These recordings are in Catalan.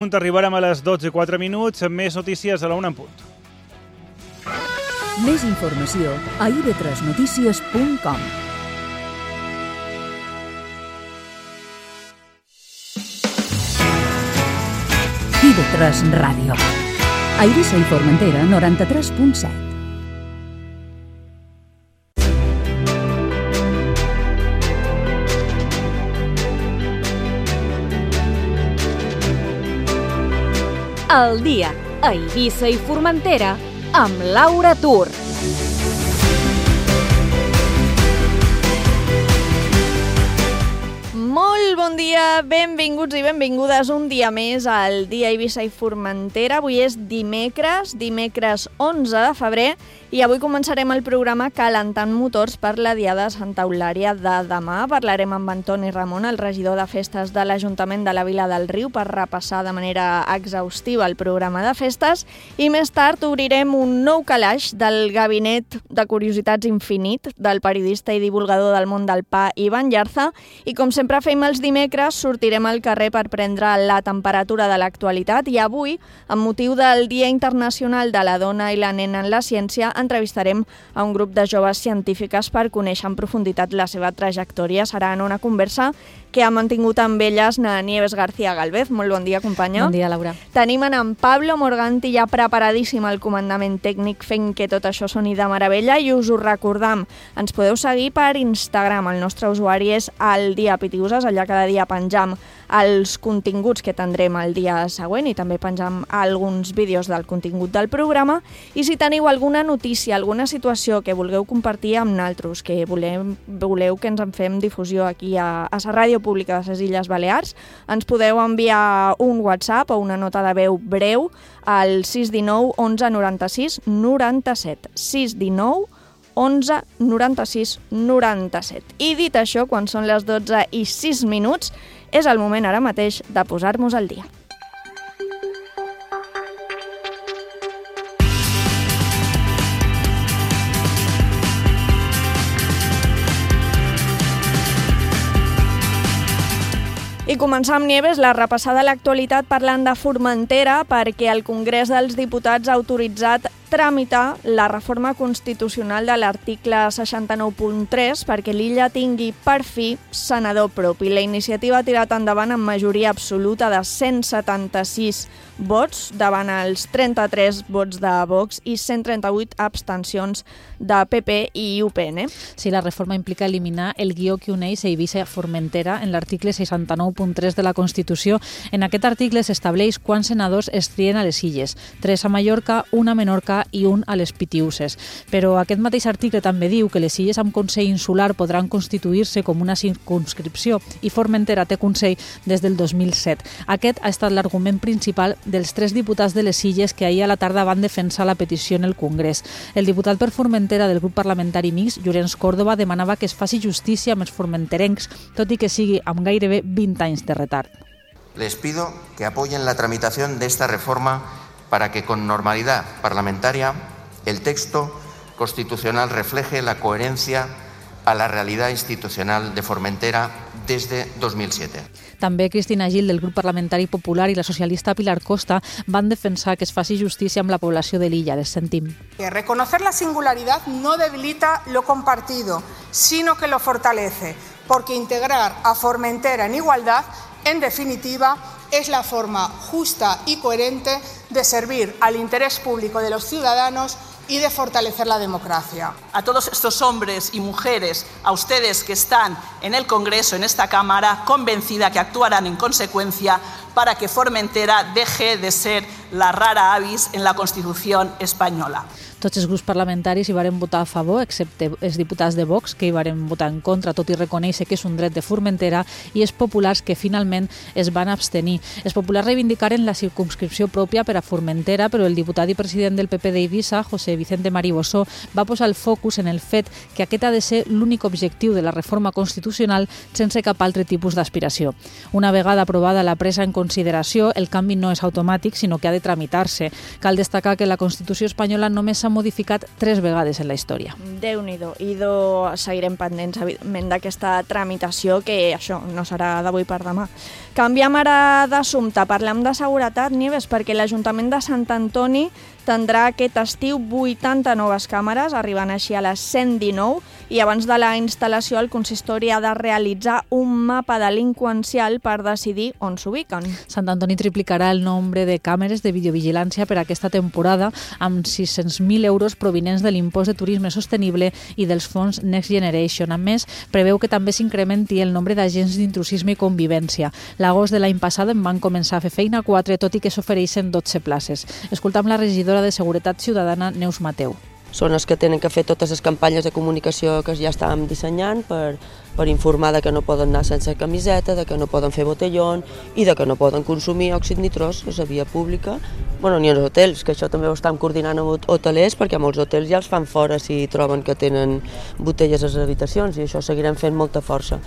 Arribarem a les 12:04 amb més notícies a la 1 en punt. Més informació a ib3notícies.com. IB3 Ràdio. A Eivissa i Formentera, 93.7. El dia a Eivissa i Formentera amb Laura Tur. Molt bon dia, benvinguts i benvingudes un dia més al dia a Eivissa i Formentera. Avui és dimecres 11 de febrer, i avui començarem el programa calentant motors per la Diada de Santa Eulària de demà. Parlarem amb Antoni Ramon, el regidor de festes de l'Ajuntament de la Vila del Riu, per repassar de manera exhaustiva el programa de festes, i més tard obrirem un nou calaix del Gabinet de Curiositats Infinit del periodista i divulgador del món del pa Ivan Llarza, i com sempre fem els dimecres, sortirem al carrer per prendre la temperatura de l'actualitat, i avui, amb motiu del Dia Internacional de la Dona i la Nena en la Ciència, entrevistarem a un grup de joves científiques per conèixer en profunditat la seva trajectòria. Serà en una conversa que ha mantingut amb elles Nieves García Galvez. Molt bon dia, companya. Bon dia, Laura. Tenim en Pablo Morganti ja preparadíssim al comandament tècnic, fent que tot això soni de meravella, i us ho recordam. Ens podeu seguir per Instagram. El nostre usuari és El Dia Pitiuses. Allà cada dia penjam els continguts que tindrem el dia següent, i també penjam alguns vídeos del contingut del programa. I si teniu alguna notícia, alguna situació que vulgueu compartir amb naltros, que voleu que ens en fem difusió aquí a la Ràdio Pública de les Illes Balears, ens podeu enviar un WhatsApp o una nota de veu breu al 619 11 96 97. 619 11 96 97. I dit això, quan són les 12:06, és el moment ara mateix de posar-nos al dia. I començar amb Nieves la repassada a l'actualitat parlant de Formentera, perquè el Congrés dels Diputats ha autoritzat tramitar la reforma constitucional de l'article 69.3 perquè l'illa tingui per fi senador propi. La iniciativa ha tirat endavant amb majoria absoluta de 176 vots davant els 33 vots de Vox i 138 abstencions de PP i UPN. Sí, la reforma implica eliminar el guió que uneix Eivissa i Formentera en l'article 69.3 de la Constitució. En aquest article s'estableix quants senadors es trien a les illes, 3 a Mallorca, 1 a Menorca i un a les Pitiuses. Però aquest mateix article també diu que les illes amb Consell Insular podran constituir-se com una circumscripció, i Formentera té Consell des del 2007. Aquest ha estat l'argument principal dels 3 diputats de les illes que ahir a la tarda van defensar la petició en el Congrés. El diputat per Formentera del grup parlamentari mixt, Llorenç Córdoba, demanava que es faci justícia amb els formenterencs, tot i que sigui amb gairebé 20 anys de retard. Les pido que apoyen la tramitación de esta reforma para que con normalidad parlamentaria el texto constitucional refleje la coherencia a la realidad institucional de Formentera desde 2007. També Cristina Gil, del grup parlamentari popular, i la socialista Pilar Costa van defensar que es faci justícia amb la població de l'illa. Les sentim. Reconocer la singularidad no debilita lo compartido, sino que lo fortalece, porque integrar a Formentera en igualdad, en definitiva, es la forma justa y coherente de servir al interés público de los ciudadanos y de fortalecer la democracia. A todos estos hombres y mujeres, a ustedes que están en el Congreso, en esta Cámara, convencida que actuarán en consecuencia para que Formentera deje de ser la rara avis en la Constitución española. Tots els grups parlamentaris hi varen votar a favor, excepte els diputats de Vox, que hi varen votar en contra, tot i reconèixer que és un dret de Formentera, i els populars, que finalment es van abstenir. Els populars reivindicaren la circumscripció pròpia per a Formentera, però el diputat i president del PP d'Eivissa, José Vicente Maribossó, va posar el focus en el fet que aquest ha de ser l'únic objectiu de la reforma constitucional sense cap altre tipus d'aspiració. Una vegada aprovada la presa en consideració, el canvi no és automàtic, sinó que ha de tramitar-se. Cal destacar que la Constitució espanyola només s'ha modificat 3 vegades en la història. Déu-n'hi-do. I seguirem pendents, evidentment, d'aquesta tramitació, que això no serà d'avui per demà. Canviem ara d'assumpte, parlem de seguretat, Nieves, perquè l'Ajuntament de Sant Antoni tindrà aquest estiu 80 noves càmeres, arribant així a les 119, i abans de la instal·lació el consistori ha de realitzar un mapa delinqüencial per decidir on s'ubiquen. Sant Antoni triplicarà el nombre de càmeres de videovigilància per aquesta temporada amb 600.000 euros provinents de l'impost de turisme sostenible i dels fons Next Generation. A més, preveu que també s'incrementi el nombre d'agents d'intrusisme i convivència. L'agost de l'any passat en van començar a fer feina 4, tot i que s'ofereixen 12 places. Escoltam la regidora de Seguretat Ciutadana, Neus Mateu. Són els que tenen que fer totes les campanyes de comunicació que ja estàvem dissenyant per informar de que no poden anar sense camiseta, de que no poden fer botellón i de que no poden consumir òxid nitrós a la via pública, ni als hotels, que això també ho estem coordinant amb hotelers, perquè molts hotels ja els fan fora si troben que tenen botelles a les habitacions, i això seguirem fent molta força.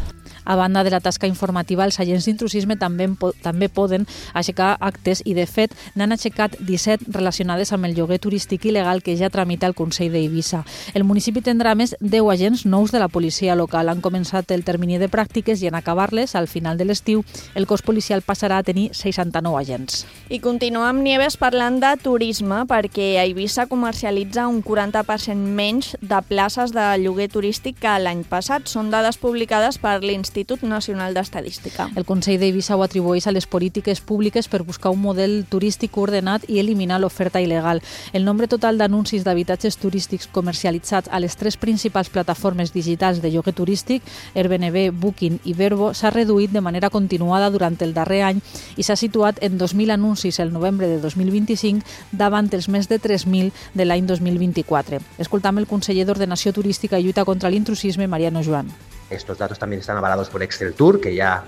A banda de la tasca informativa, els agents d'intrusisme també poden aixecar actes i, de fet, n'han aixecat 17 relacionades amb el lloguer turístic il·legal que ja tramita el Consell d'Eivissa. El municipi tindrà més 10 agents nous de la policia local. Han començat el termini de pràctiques i en acabar-les, al final de l'estiu, el cos policial passarà a tenir 69 agents. I continuem, Nieves, parlant de turisme, perquè Eivissa comercialitza un 40% menys de places de lloguer turístic que l'any passat. Són dades publicades per l'Institut Nacional d'Estadística. El Consell d'Eivissa ho atribueix a les polítiques públiques per buscar un model turístic ordenat i eliminar l'oferta il·legal. El nombre total d'anuncis d'habitatges turístics comercialitzats a les 3 principals plataformes digitals de lloguer turístic, Airbnb, Booking i Vrbo, s'ha reduït de manera continuada durant el darrer any i s'ha situat en 2.000 anuncis el novembre de 2025 davant els més de 3.000 de l'any 2024. Escoltam el conseller d'Ordenació Turística i Lluita contra l'Intrusisme, Mariano Joan. Estos datos también están avalados por Excel Tour, que ya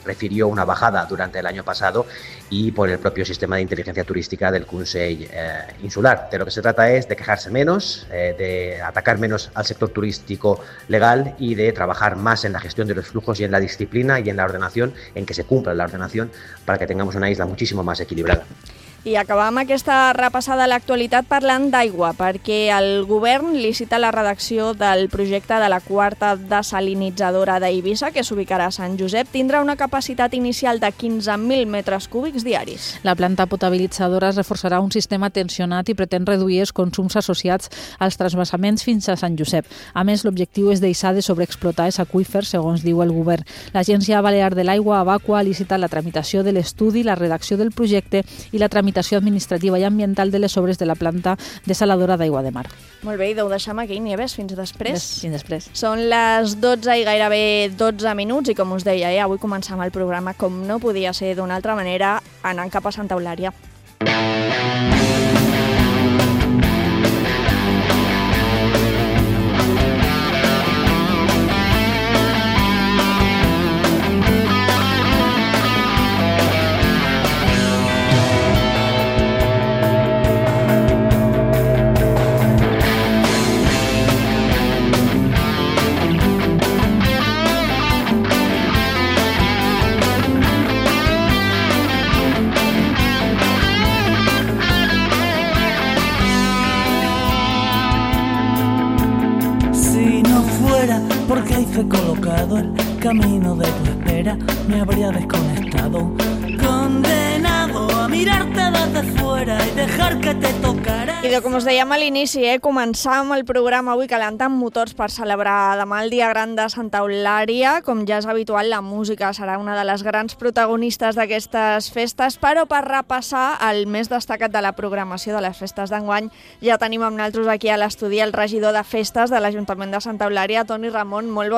refirió una bajada durante el año pasado, y por el propio sistema de inteligencia turística del Consell Insular. De lo que se trata es de quejarse menos, de atacar menos al sector turístico legal y de trabajar más en la gestión de los flujos y en la disciplina y en la ordenación, en que se cumpla la ordenación para que tengamos una isla muchísimo más equilibrada. I acabam aquesta repassada a l'actualitat parlant d'aigua, perquè el govern licita la redacció del projecte de la quarta desalinitzadora d'Eivissa, que s'ubicarà a Sant Josep. Tindrà una capacitat inicial de 15.000 metres cúbics diaris. La planta potabilitzadora es reforçarà un sistema tensionat i pretén reduir els consums associats als transvasaments fins a Sant Josep. A més, l'objectiu és deixar de sobreexplotar els aqüífers, segons diu el govern. L'Agència Balear de l'Aigua, Abaqua, ha licitat la tramitació de l'estudi, la redacció del projecte i la tramitació administrativa i ambiental de les obres de la planta desaladora d'aigua de mar. Molt bé, i ho deixem aquí, Nieves, fins després. Fins després. Són les 12 i gairebé 12 minuts i, com us deia, avui començam el programa com no podia ser d'una altra manera, anant cap a Santa Eulària. Porque ahí fue colocado el camino de tu espera, me habría desconectado, condenado a mirarte desde fuera y dejar que te tocara. I com us dèiem a l'inici, començam el programa avui calentant motors per celebrar demà el Dia Gran de Santa Eulària. Com ja és habitual, la música serà una de les grans protagonistes d'aquestes festes, però per repassar el més destacat de la programació de les festes d'enguany ja tenim amb nosaltres aquí a l'estudi el regidor de festes de l'Ajuntament de Santa Eulària, Toni Ramon. Molt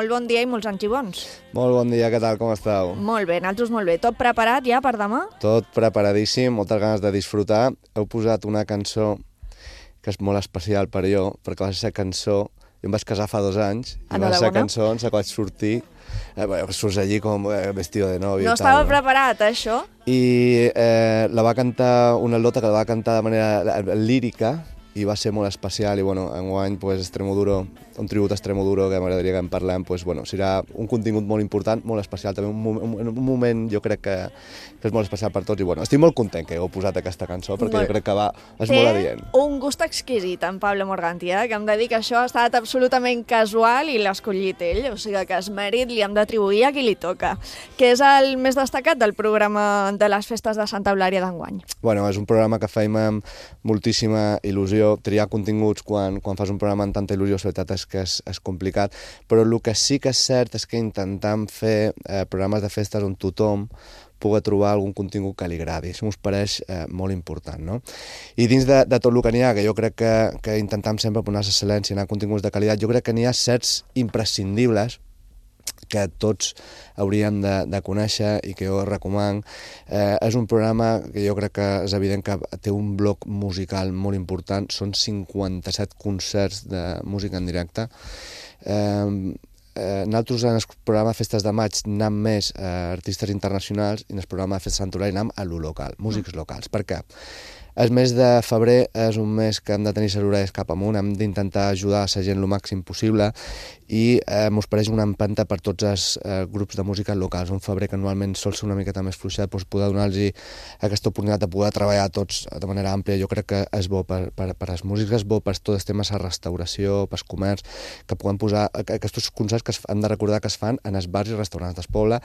bon dia i molts anys i bons. Molt bon dia, què tal, com esteu? Molt bé, nosaltres molt bé. Tot preparat ja per demà? Tot preparadíssim, moltes ganes de disfrutar. Heu posat una cançó que és molt especial per jo, perquè va ser cançó... Jo em vaig casar fa 2 anys, i va ser cançó en la qual vaig sortir, surts allí com vestido de novio. No estava preparat, això? I la va cantar una atleta que la va cantar de manera lírica, i va ser molt especial, i bueno, enguany pues, Extremoduro un tribut a Extremoduro que m'agradaria que en parlem, doncs, bueno, serà un contingut molt important, molt especial, també un moment jo crec que és molt especial per tots i bueno, estic molt content que heu posat aquesta cançó perquè jo crec que és molt adient. Té un gust exquisit en Pablo Morganti, que em dedica a això, ha estat absolutament casual i l'ha escollit ell, o sigui que es mèrit li hem d'atribuir a qui li toca, que és el més destacat del programa de les festes de Santa Eulària d'enguany. Bueno, és un programa que fem amb moltíssima il·lusió. Triar continguts quan fas un programa amb tanta il·lusió, la veritat és que és complicat, però el que sí que és cert és que intentem fer programes de festes on tothom pugui trobar algun contingut que li agradi. Això m'us pareix molt important, no? I dins de tot el que n'hi ha, que jo crec que intentem sempre posar l'excel·lència, anar a continguts de qualitat, jo crec que n'hi ha certs imprescindibles que tots hauríem de conèixer i que jo recomano. És un programa que jo crec que és evident que té un bloc musical molt important, són 57 concerts de música en directe. Nosaltres en el programa de Festes de Maig anem més a artistes internacionals i en el programa de Festes de Sant Eulària anem a lo local, músics locals. Per què? El mes de febrer és un mes que hem de tenir les orelles cap amunt, hem d'intentar ajudar la gent el màxim possible i mos pareix una empenta per tots els grups de música locals. Un febrer que normalment sol ser una miqueta més fluixet, doncs poder donar-los aquesta oportunitat de poder treballar tots de manera àmplia, jo crec que és bo per als músics, és bo per tots els temes de restauració, per comerç, que puguem posar aquests concerts que hem de recordar que es fan en els bars i restaurants del poble,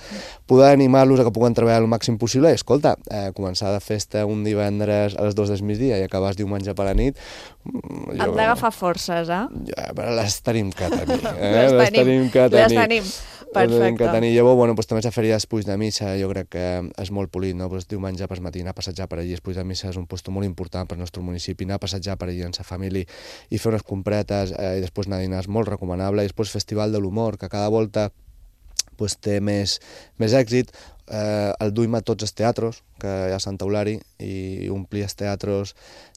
poder animar-los a que puguen treballar el màxim possible i, escolta, començar de festa un divendres a les 2 del migdia i acabar diumenge per la nit... Hem d'agafar forces, Ja, però les tenim que tenir. Les tenim. Perfecte. Llavors, bueno, també la feria després de missa, jo crec que és molt polit, no? Diumenge per matí anar a passejar per allí, després de missa és un lloc molt important per al nostre municipi, anar a passejar per allí amb la família i fer unes compretes i després anar a dinar és molt recomanable. I després Festival de l'Humor, que cada volta té més èxit, el duim a tots els teatres que hi ha a Santa Eulària i omplir els teatres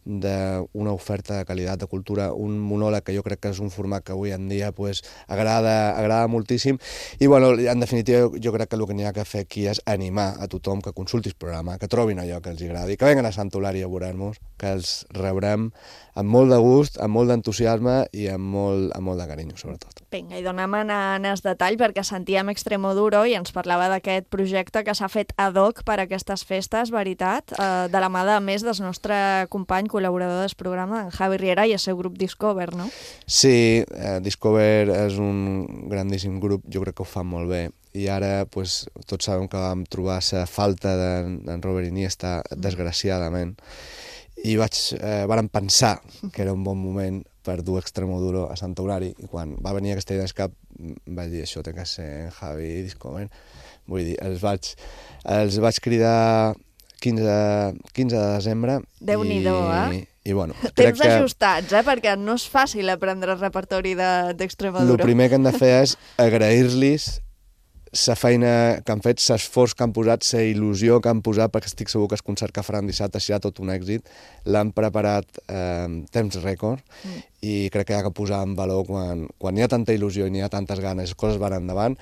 d'una oferta de qualitat de cultura, un monòleg que jo crec que és un format que avui en dia agrada moltíssim i bueno, en definitiva jo crec que el que n'hi ha que fer aquí és animar a tothom que consulti el programa, que trobin allò que els agradi, que venguen a Santa Eulària a veure-nos, que els rebrem amb molt de gust, amb molt d'entusiasme i amb molt de carinyo, sobretot. Vinga, i donem en el detall perquè sentíem Extremoduro i ens parlava d'aquest projecte que s'ha fet ad hoc per a aquestes festes, veritat, de la mà de més del nostre company col·laborador del programa, en Javi Riera i el seu grup Discover, no? Sí, Discover és un grandíssim grup, jo crec que ho fan molt bé i ara tots sabem que vam trobar la falta d'en Robert Iniesta, desgraciadament, i vàrem pensar que era un bon moment per dur Extremoduro a Santa Eulària i quan va venir aquesta idea al cap vaig dir això té que ser en Javi i Discover. Vull dir, els vaig cridar 15 de desembre. Déu-n'hi-do, I bueno, temps ajustats, perquè no és fàcil aprendre el repertori d'Extremoduro. El primer que hem de fer és agrair-los la feina que han fet, l'esforç que han posat, la il·lusió que han posat, perquè estic segur que el concert que faran dissabte serà tot un èxit. L'han preparat temps rècord i crec que hi ha que posar en valor quan hi ha tanta il·lusió i n'hi ha tantes ganes, les coses van endavant,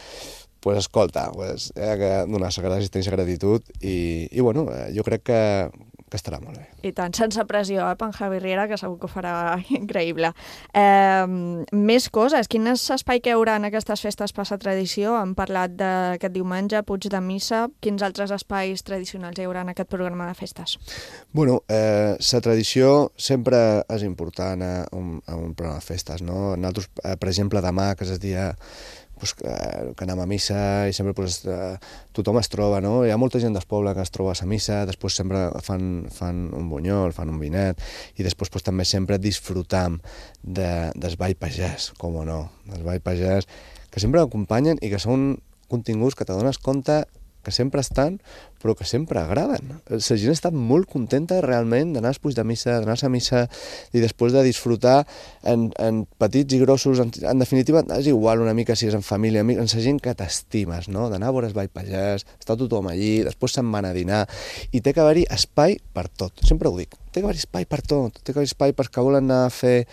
doncs escolta, hi ha que donar la resistència i gratitud i bueno, jo crec que estarà molt bé. I tant, sense pressió, en Javi Riera, que segur que ho farà increïble. Més coses, quin és l'espai que hi haurà en aquestes festes per la tradició? Hem parlat d'aquest diumenge, Puig de Missa, quins altres espais tradicionals hi haurà en aquest programa de festes? Bueno, la tradició sempre és important a un programa de festes, no? Nosaltres, per exemple, demà, que és el dia que anem a missa i sempre tothom es troba, no? Hi ha molta gent del poble que es troba a la missa, després sempre fan un bunyol, fan un vinet i després també sempre disfrutam del ball pagès, com o no, del ball pagès, que sempre acompanyen i que són continguts que t'adones compte que sempre estan, però que sempre agraden. La gent està molt contenta realment d'anar als Puig de Missa, d'anar a la missa i després de disfrutar en petits i grossos, en definitiva és igual una mica si és en família, en la gent que t'estimes, no? D'anar a veure el ball pagès, està tothom allí, després se'n van a dinar i té que haver-hi espai per tot, sempre ho dic, té que haver-hi espai per tot, té que haver-hi espai pels que volen anar a fer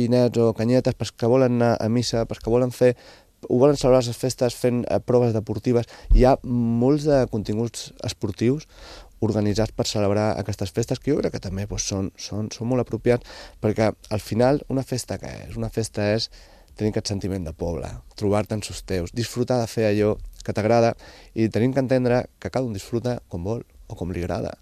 vinets o canyetes, pels que volen anar a missa, pels que volen volen celebrar les festes fent proves deportives. Hi ha molts de continguts esportius organitzats per celebrar aquestes festes, que jo crec que també són molt apropiats, perquè al final una festa què és? Una festa és tenir aquest sentiment de poble, trobar-te amb els teus, disfrutar de fer allò que t'agrada i tenim que entendre que cada un disfruta com vol o com li agrada.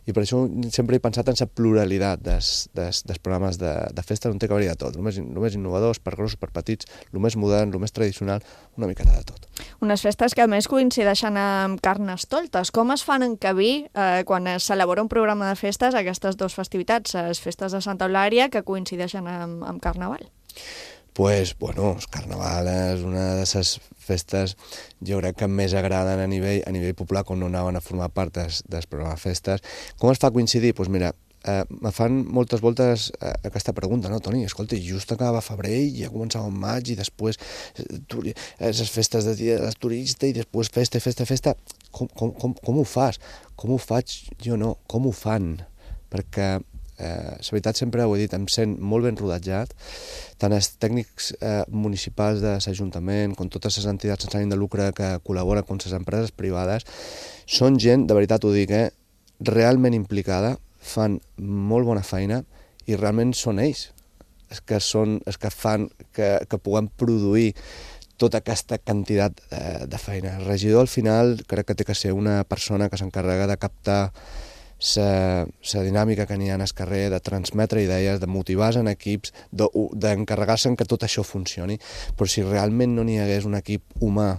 I per això sempre he pensat en la pluralitat dels programes de festes on té que haver-hi de tot, el més innovadors, per grossos, per petits, el més modern, el més tradicional, una miqueta de tot. Unes festes que a més coincideixen amb Carnestoltes. Com es fan encabir quan es celebra un programa de festes aquestes dues festivitats, les festes de Santa Eulària que coincideixen amb Carnaval? Pues, bueno, el Carnaval és una de les festes, jo crec que més agraden a nivell popular quan no anaven a formar part del programa de festes. Com es fa coincidir? Doncs mira, me fan moltes voltes aquesta pregunta, no, Toni? Escolta, just acaba febrer i ja començava en maig i després les festes de dia del turista i després festa. Com ho fas? Com ho faig? Jo no. Com ho fan? Perquè la veritat sempre ho he dit, em sent molt ben rodatjat, tant els tècnics municipals de l'Ajuntament com totes les entitats sense ànim de lucre que col·laboren com les empreses privades, són gent, de veritat ho dic, realment implicada, fan molt bona feina i realment són ells els que fan que puguem produir tota aquesta quantitat de feina. El regidor al final crec que té que ser una persona que s'encarrega de captar la dinàmica que n'hi ha al carrer, de transmetre idees, de motivar en equips, d'encarregar-se que tot això funcioni. Però si realment no n'hi hagués un equip humà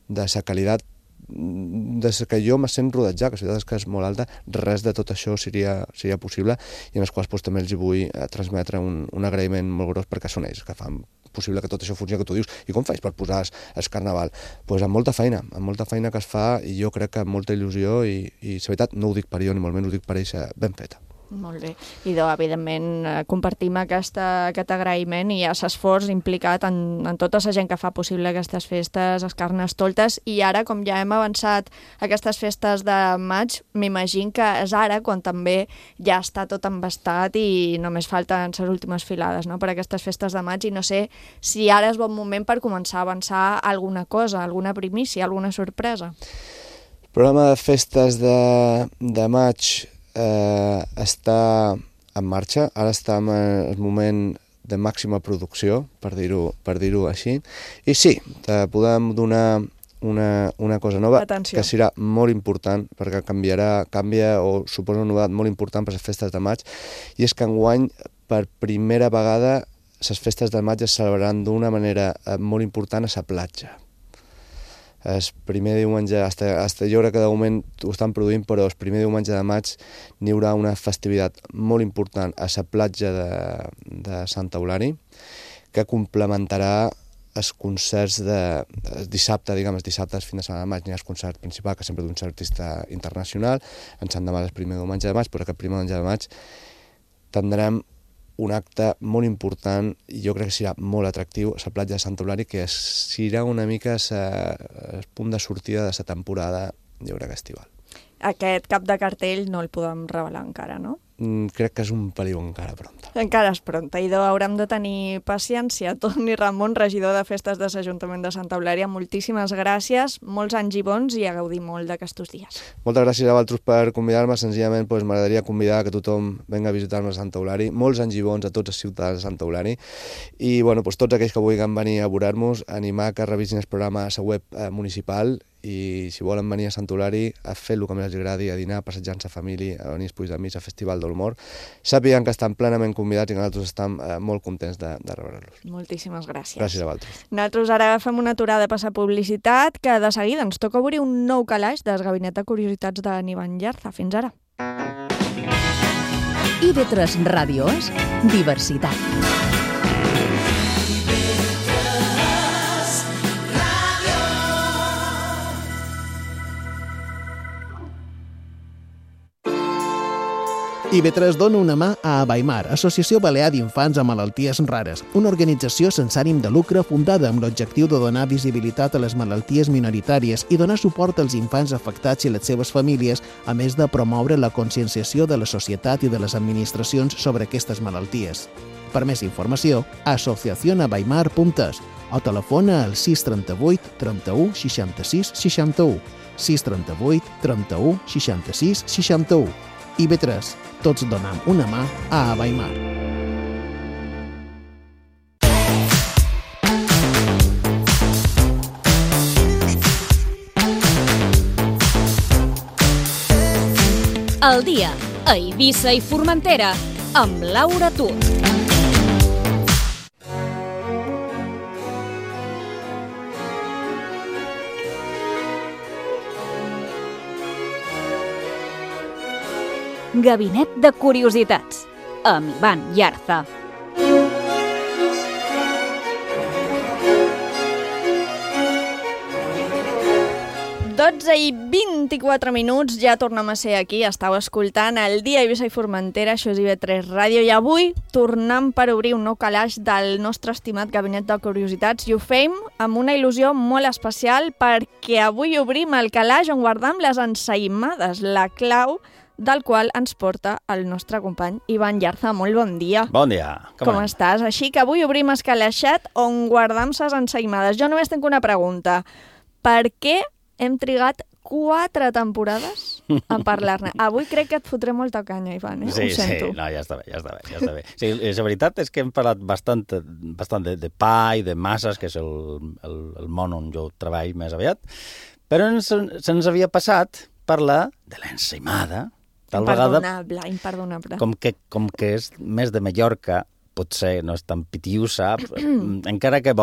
de la qualitat des que jo me sent rodejat, que la ciutat és que és molt alta, res de tot això seria possible i en els quals també els vull transmetre un agraïment molt gros perquè són ells que fan possible que tot això funcioni, que tu dius, i com faig per posar el Carnaval? Doncs amb molta feina que es fa i jo crec que amb molta il·lusió i la veritat no ho dic per jo ni molt menys, ho dic per ells ben feta. Molt bé. I evidentment compartim aquest agraïment i l'esforç implicat en tota la gent que fa possible aquestes festes, les Carnestoltes, i ara, com ja hem avançat aquestes festes de maig, m'imagino que és ara quan també ja està tot embastat i només falten les últimes filades, no?, per aquestes festes de maig, i no sé si ara és bon moment per començar a avançar alguna cosa, alguna primícia, alguna sorpresa. El programa de festes de maig està en marxa, ara està en el moment de màxima producció, per dir-ho així, i sí, te podem donar una cosa nova. Atenció. Que serà molt important, perquè canvia o suposa una novetat molt important per les festes de maig, i és que enguany, per primera vegada, les festes de maig es celebraran d'una manera molt important a la platja. El primer diumenge, jo crec que de moment ho estan produint, però el primer diumenge de maig n'hi haurà una festivitat molt important a la platja de Santa Eulària, que complementarà els concerts de dissabte, els dissabtes fins a setmana de maig n'hi ha el concert principal, que sempre d'un artista internacional, en Sant Demà el primer diumenge de maig, però aquest primer diumenge de maig tindrem un acte molt important i jo crec que serà molt atractiu a la platja de Santa Eulària, que serà una mica el punt de sortida de la temporada, jo crec, estival. Aquest cap de cartell no el podem revelar encara, no? Crec que és un peliu encara pronta. Encara és pronta, i haurem de tenir paciència. Toni Ramon, regidor de Festes de l'Ajuntament de Santa Eulària, moltíssimes gràcies, molts anys i bons i a gaudir molt d'aquests dies. Moltes gràcies a vosaltres per convidar-me, senzillament m'agradaria convidar que tothom venga a visitar-me a Santa Eulària, molts anys i bons a tots els ciutadans de Santa Eulària, i tots aquells que vulguin venir a veure-nos, animar que revisin el programa a la web municipal, i si volen venir a Santa Eulària a fer el que més els agradi, a dinar, a passejar amb la família, a venir als Amics, al Festival de l'Humor, sàpiguen que estan plenament convidats i que nosaltres estem molt contents de rebre-los. Moltíssimes gràcies. Gràcies a vosaltres. Nosaltres ara fem una aturada a passar publicitat, que de seguida ens toca obrir un nou calaix del Gabinet de Curiositats de Nivan Llarza. Fins ara. IB3 Ràdio és diversitat. IB3 dona una mà a Abaimar, Associació Balear d'Infants amb Malalties Rares, una organització sense ànim de lucre fundada amb l'objectiu de donar visibilitat a les malalties minoritàries i donar suport als infants afectats i les seves famílies, a més de promoure la conscienciació de la societat i de les administracions sobre aquestes malalties. Per més informació, asociacionabaimar.es o telefona al 638 31 66 61. 638 31 66 61. IB3, tots donam una mà a Abaimar. El dia a Eivissa i Formentera amb Laura Tur. Gabinet de Curiositats amb Ivan Yarza. I 24 minuts, ja tornem a ser aquí. Estàu escoltant el dia a Eivissa i Formentera, això és IB3 Ràdio, i avui tornem per obrir un nou calaix del nostre estimat Gabinet de Curiositats i ho fem amb una il·lusió molt especial perquè avui obrim el calaix on guardam les ensaïmades, la clau del qual ens porta el nostre company Ivan Yarza. Molt bon dia. Bon dia. Com estàs? Així que avui obrim el calaixet on guardam les ensaïmades. Jo només tinc una pregunta. Per què hem trigat 4 temporades a parlar-ne? Avui crec que et fotré molta canya, Ivan, Sí, ho sento. Sí, no, ja està bé. Sí, la veritat és que hem parlat bastant de pa i de masses, que és el món on jo treballo més aviat, però se'ns havia passat parlar de l'ensaïmada. Imperdonable. Com que és més de Mallorca, potser no és tan pitiusa, encara que,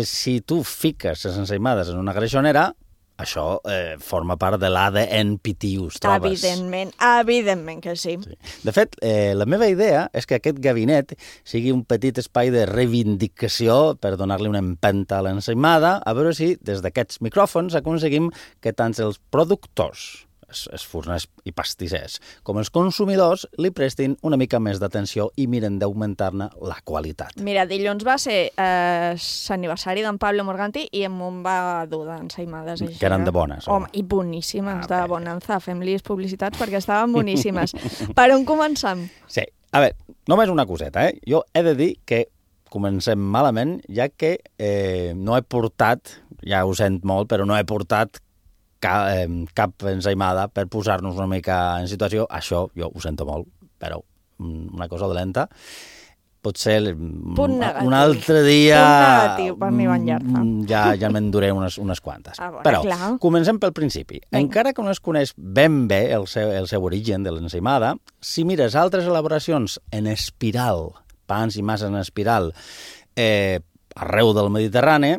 si tu fiques les ensaïmades en una greixonera, això forma part de l'ADN pitius, trobes? Evidentment que sí. De fet, la meva idea és que aquest gabinet sigui un petit espai de reivindicació per donar-li una empenta a l'ensaïmada, a veure si des d'aquests micròfons aconseguim que tant els productors, els forners i pastissers, com els consumidors li prestin una mica més d'atenció i miren d'augmentar-ne la qualitat. Mira, dilluns va ser l'aniversari d'en Pablo Morganti i em va dur d'ensaïmades. Que eren de bones. Home, i boníssimes, de bonanza. Fem-li publicitats perquè estaven boníssimes. Per on comencem? Sí, a veure, només una coseta, Jo he de dir que comencem malament, ja que no he portat, ja ho sent molt, però no he portat cap ensaïmada per posar-nos una mica en situació. Això jo ho sento molt, però una cosa dolenta. Potser un altre dia per mi Ivan Yarza. ja m'enduré unes quantes. Però comencem pel principi. Encara que no es coneix ben bé el seu origen de l'ensaïmada, si mires altres elaboracions en espiral, pans i masses en espiral, arreu del Mediterrani,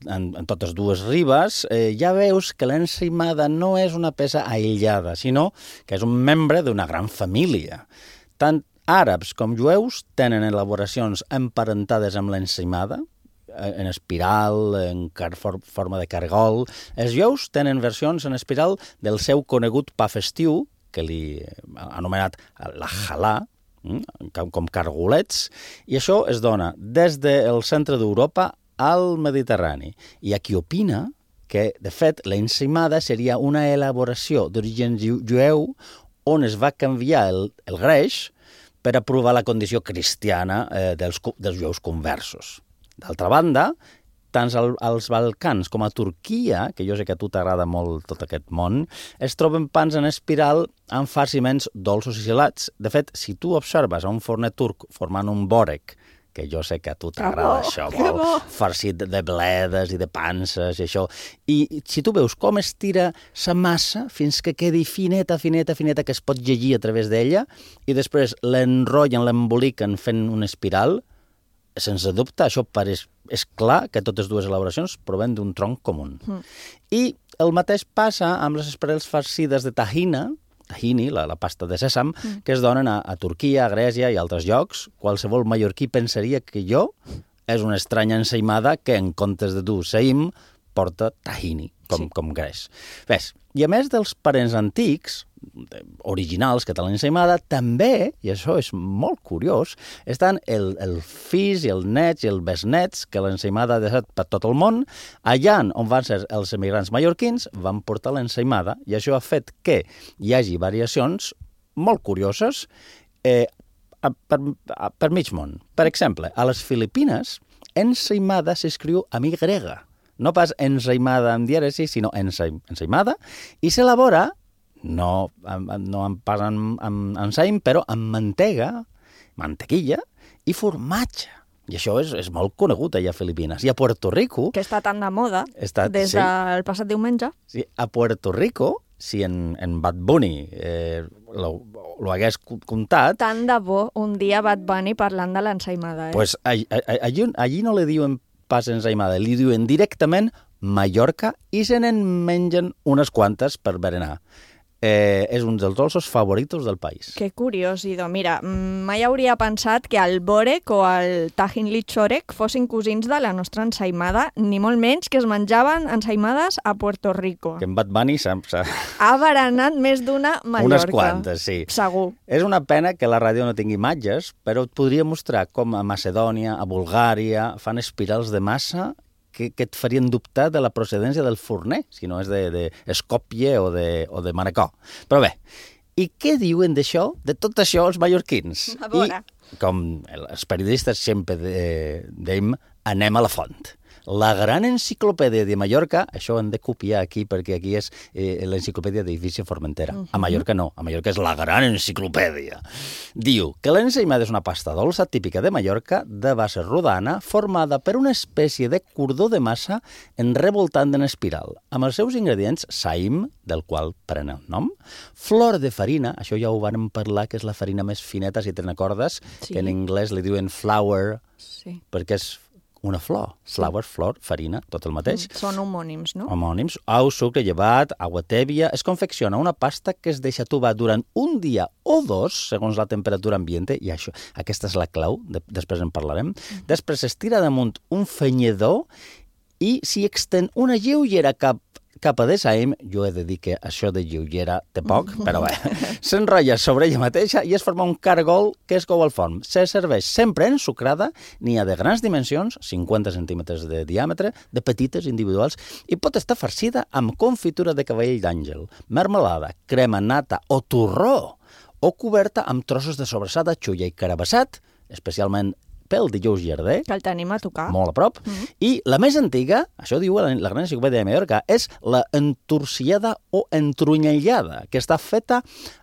en totes dues ribes, ja veus que l'ensaïmada no és una peça aïllada, sinó que és un membre d'una gran família. Tant àrabs com jueus tenen elaboracions emparentades amb l'ensaïmada, en espiral, en forma de cargol. Els jueus tenen versions en espiral del seu conegut pa festiu, que li ha anomenat la halà, com cargolets, i això es dona des del centre d'Europa al Mediterrani. Hi ha qui opina que, de fet, l'ensaïmada seria una elaboració d'origen jueu on es va canviar el greix per aprovar la condició cristiana dels jueus conversos. D'altra banda, tant als Balcans com a Turquia, que jo sé que a tu t'agrada molt tot aquest món, es troben pans en espiral amb farciments dolços i salats. De fet, si tu observes a un forner turc formant un bòrec, que jo sé que a tu t'agrada això, molt farcit de bledes i de panses i això. I si tu veus com es tira la massa fins que quedi fineta, que es pot llegir a través d'ella, i després l'enrotllen, l'emboliquen fent una espiral, sense dubte, això és clar que totes dues elaboracions proven d'un tronc comú. I el mateix passa amb les espirals farcides de tahini, la pasta de sèsam, que es donen a Turquia, a Grècia i altres llocs. Qualsevol mallorquí pensaria que és una estranya ensaïmada que en comptes de dur seïm porta tahini, com greix. Ves, i a més dels parents antics, originals que té l'ensaïmada, també, i això és molt curiós, estan el fills i el nets i el besnets que l'ensaïmada ha deixat per tot el món. Allà on van ser els emigrants mallorquins van portar l'ensaïmada i això ha fet que hi hagi variacions molt curioses per mig món. Per exemple, a les Filipines, ensaïmada s'escriu amb Y, no pas ensaïmada amb dièresi, sinó ensaïmada, i s'elabora no pas amb ensaïm, però amb mantega, mantequilla i formatge. I això és molt conegut allà a Filipines. I a Puerto Rico... Que està tan de moda des del passat diumenge. Sí, a Puerto Rico, si en Bad Bunny lo hagués contat... Tant de bo un dia Bad Bunny parlant de l'ensaïmada, Pues allí no li diuen pas ensaïmada, li diuen directament Mallorca i se n'en mengen unes quantes per berenar. És un dels dolços favoritos del país. Que curiós, Ido. Mira, mai hauria pensat que el Borek o el Tajín Lichorek fossin cosins de la nostra ensaïmada, ni molt menys que es menjaven ensaïmades a Puerto Rico. Que en Bad Bunny ha berenat més d'una Mallorca. Unes quantes, sí. Segur. És una pena que la ràdio no tingui imatges, però et podria mostrar com a Macedònia, a Bulgària, fan espirals de massa que et farien dubtar de la procedència del forner, si no és d'Skopje o de Manacor. Però bé, i què diuen d'això, de tot això, els mallorquins? A veure. I, com els periodistes sempre dèiem, anem a la font. La gran enciclopèdia de Mallorca, això ho hem de copiar aquí perquè aquí és l'enciclopèdia d'Eivissa Formentera. A Mallorca no, a Mallorca és la gran enciclopèdia. Diu que l'ensaïmada és una pasta dolça típica de Mallorca de base rodana formada per una espècie de cordó de massa enrevoltant en espiral, amb els seus ingredients saïm, del qual pren el nom, flor de farina, això ja ho vam parlar, que és la farina més fineta, si te'n recordes, que en anglès li diuen flour, perquè és una flor, flower, flor, farina, tot el mateix. Són homònims, no? Homònims. Ou, sucre, llevat, aigua tèbia. Es confecciona una pasta que es deixa tubar durant un dia o dos, segons la temperatura ambiente, i això, aquesta és la clau, després en parlarem. Després es tira damunt un fenyedor i s'hi extén una lleugera capa de saïm, jo he de dir que això de lleugera té poc, però bé, s'enrotlla sobre ella mateixa i es forma un cargol que es cou al forn. Se serveix sempre ensucrada, n'hi ha de grans dimensions, 50 centímetres de diàmetre, de petites individuals, i pot estar farcida amb confitura de cavall d'àngel, mermelada, crema nata o torró, o coberta amb trossos de sobrassada, xulla i carabassat, especialment pel dijous Llarder. Que el tenim a tocar. Molt a prop. I la més antiga, això diu la gran enciclopèdia de Mallorca, és la entorciada o entrunyellada, que està feta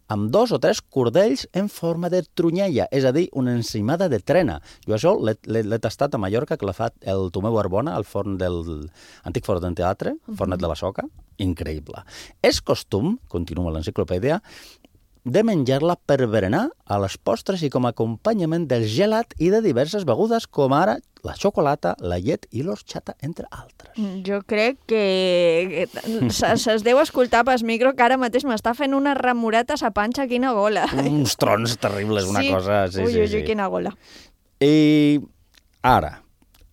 amb 2 o 3 cordells en forma de trunyella, és a dir, una ensaïmada de trena. Jo això l'he tastat a Mallorca, que l'ha fet el Tomeu Arbona, al forn del antic forn del teatre, fornet de la Soca. Increïble. És costum, continua l'enciclopèdia, de menjar-la per berenar a les postres i com a acompanyament del gelat i de diverses begudes, com ara la xocolata, la llet i l'orxata, entre altres. Jo crec que es deu escoltar pel micro que ara mateix m'està fent una remoreta a sa panxa, quina gola. Uns trons terribles, una cosa... Sí, ui, quina gola. I ara,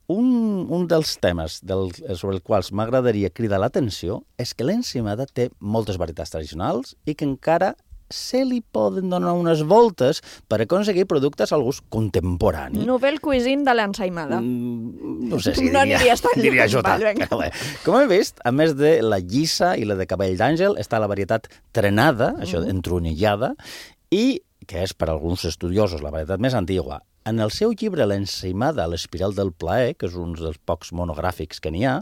un dels temes sobre els quals m'agradaria cridar l'atenció és que l'ensaïmada té moltes varietats tradicionals i que encara se li poden donar unes voltes per aconseguir productes al gust contemporani. Novel cuisine de l'ensaïmada. No sé si no diria jo tant. Com hem vist, a més de la llissa i la de cabell d'àngel, està la varietat trenada, això entronellada, i que és per alguns estudiosos la varietat més antigua. En el seu llibre L'ensaïmada a l'espiral del plaer, que és un dels pocs monogràfics que n'hi ha,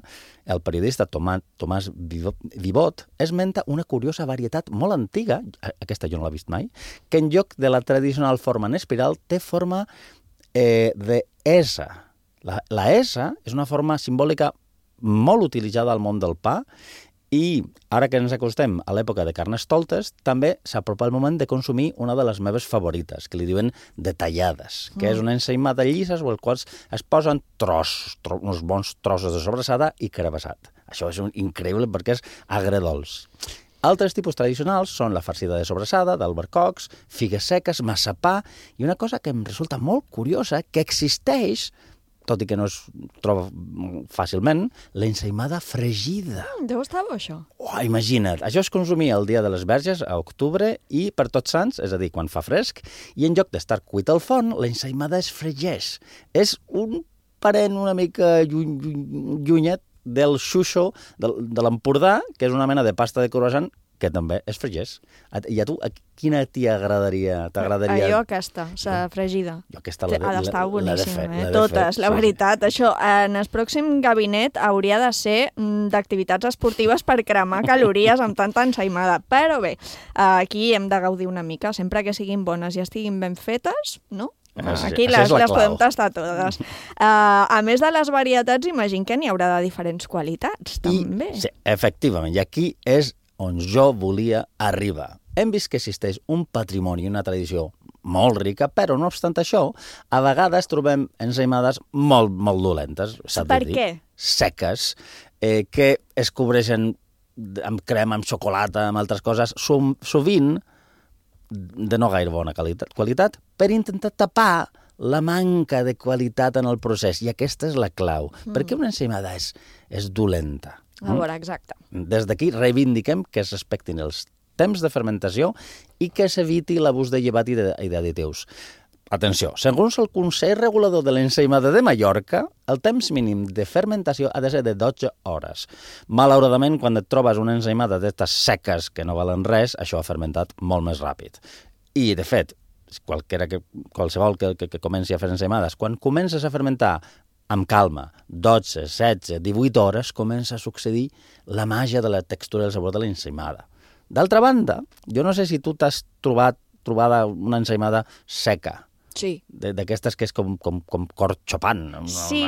el periodista Tomàs Vivot esmenta una curiosa varietat molt antiga, aquesta jo no l'he vist mai, que en lloc de la tradicional forma en espiral té forma de S. La S és una forma simbòlica molt utilitzada al món del pa i ara que ens acostem a l'època de Carnestoltes, també s'apropa el moment de consumir una de les meves favorites, que li diuen detallades, que és una ensaïmada llisa o els quals es posen uns bons trossos de sobrassada i carabassat. Això és increïble perquè és agredolç. Altres tipus tradicionals són la farcida de sobrassada, d'albercocs, figues seques, massapà, i una cosa que em resulta molt curiosa, que existeix, tot i que no es troba fàcilment, l'ensaïmada fregida. Deu estar bo, això. Imagina't, això es consumia el dia de les Verges, a octubre, i per Tots Sants, és a dir, quan fa fresc, i en lloc d'estar cuit al forn, l'ensaïmada es fregeix. És un parent una mica llunyet del xuxo de l'Empordà, que és una mena de pasta de croissant que també es fregeix. I a tu, quina t'agradaria? Jo aquesta, la fregida. Jo aquesta ha d'estar boníssima, totes, la veritat. Això, en el pròxim gabinet hauria de ser d'activitats esportives per cremar calories amb tanta ensaïmada. Però bé, aquí hem de gaudir una mica, sempre que siguin bones i estiguin ben fetes, no? Aquí les podem tastar totes. A més de les varietats, imagino que n'hi haurà de diferents qualitats, també. Sí, efectivament, i aquí és on jo volia arribar. Hem vist que existeix un patrimoni, una tradició molt rica, però no obstant això, a vegades trobem ensaïmades molt dolentes. Per què? Seques, que es cobreixen amb crema, amb xocolata, amb altres coses, sovint de no gaire bona qualitat, per intentar tapar la manca de qualitat en el procés. I aquesta és la clau. Perquè una ensaïmada és dolenta. A veure, exacte. Des d'aquí reivindiquem que es respectin els temps de fermentació i que s'eviti l'abús de llevat i d'additius. Atenció, segons el Consell Regulador de l'Ensaïmada de Mallorca, el temps mínim de fermentació ha de ser de 12 hores. Malauradament, quan et trobes una ensaïmada d'estes seques que no valen res, això ha fermentat molt més ràpid. I, de fet, qualsevol que comenci a fer ensaïmades, quan comences a fermentar amb calma, 12, 16, 18 hores, comença a succeir la màgia de la textura i el sabor de l'ensaïmada. D'altra banda, jo no sé si tu t'has trobada una ensaïmada seca. Sí. D'aquestes que és com cor xopant. Sí,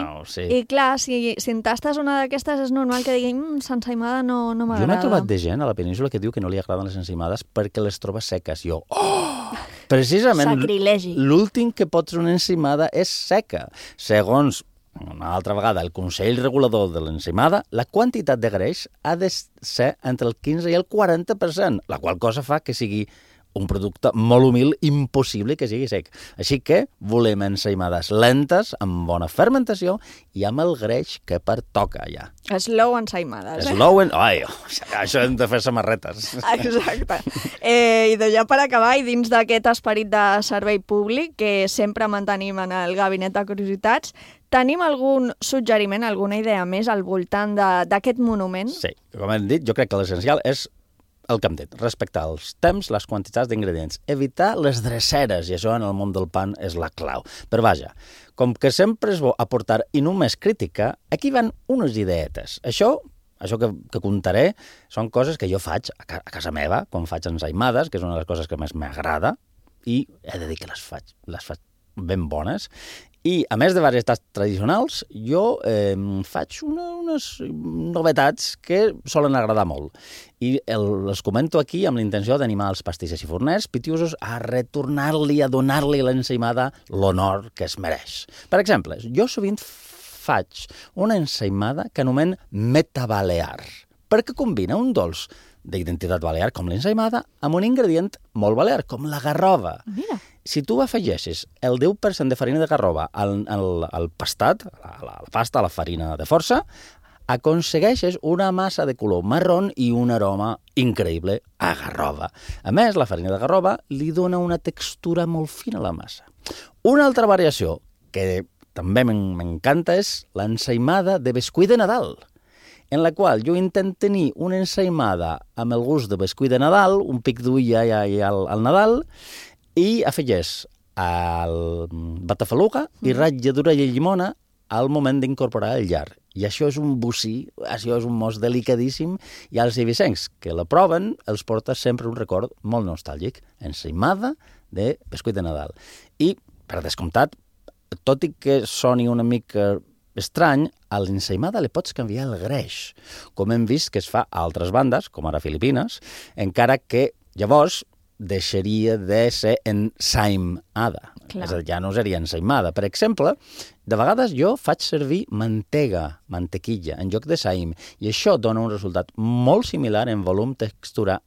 i clar, si en tastes una d'aquestes és normal que digui l'ensaïmada no m'agrada. Jo n'he trobat de gent a la península que diu que no li agraden les ensaïmades perquè les troba seques. Jo, precisament, l'últim que pot ser una ensaïmada és seca. Segons, una altra vegada, el Consell Regulador de l'Ensaïmada, la quantitat de greix ha de ser entre el 15 i el 40%, la qual cosa fa que sigui un producte molt humil, impossible que sigui sec. Així que volem ensaïmades lentes, amb bona fermentació i amb el greix que pertoca ja. Slow ensaïmades, això hem de fer samarretes. Exacte. I ja per acabar, i dins d'aquest esperit de servei públic que sempre mantenim en el Gabinet de Curiositats, tenim algun suggeriment, alguna idea més al voltant d'aquest monument? Sí, com hem dit, jo crec que l'essencial és el que hem dit, respectar els temps, les quantitats d'ingredients, evitar les dreceres, i això en el món del pan és la clau. Però vaja, com que sempre és bo aportar i només crítica, aquí van unes ideetes. Això que contaré són coses que jo faig a casa meva, quan faig ensaïmades, que és una de les coses que més m'agrada, i he de dir que les faig ben bones. I, a més de varietats tradicionals, jo faig unes novetats que solen agradar molt. I les comento aquí amb l'intenció d'animar els pastisses i forners pitiusos a retornar-li, a donar-li a l'ensaïmada l'honor que es mereix. Per exemple, jo sovint faig una ensaïmada que anomen metabalear, perquè combina un dolç d'identitat balear, com l'ensaïmada, amb un ingredient molt balear, com la garrova. Mira. Si tu afegeixes el 10% de farina de garrova al pastat, a la pasta, a la farina de força, aconsegueixes una massa de color marrón i un aroma increïble a garrova. A més, la farina de garrova li dona una textura molt fina a la massa. Una altra variació que també m'encanta és l'ensaïmada de bescuit de Nadal, en la qual jo intento tenir una ensaïmada amb el gust de bescuit de Nadal, un pic d'ull al Nadal, i afegeix el batafaluga i ratlladura de llimona al moment d'incorporar el llar. I això és un bocí, això és un mos delicadíssim, i als eivissencs que la proven els porta sempre un record molt nostàlgic, ensaïmada de bescuit de Nadal. I, per descomptat, tot i que soni una mica estrany, a l'ensaïmada li pots canviar el greix, com hem vist que es fa a altres bandes, com ara a Filipines, encara que llavors deixaria de ser ensaïmada. És a dir, ja no seria ensaïmada. Per exemple, de vegades jo faig servir mantequilla, en lloc de saïm, i això dona un resultat molt similar en volum, textura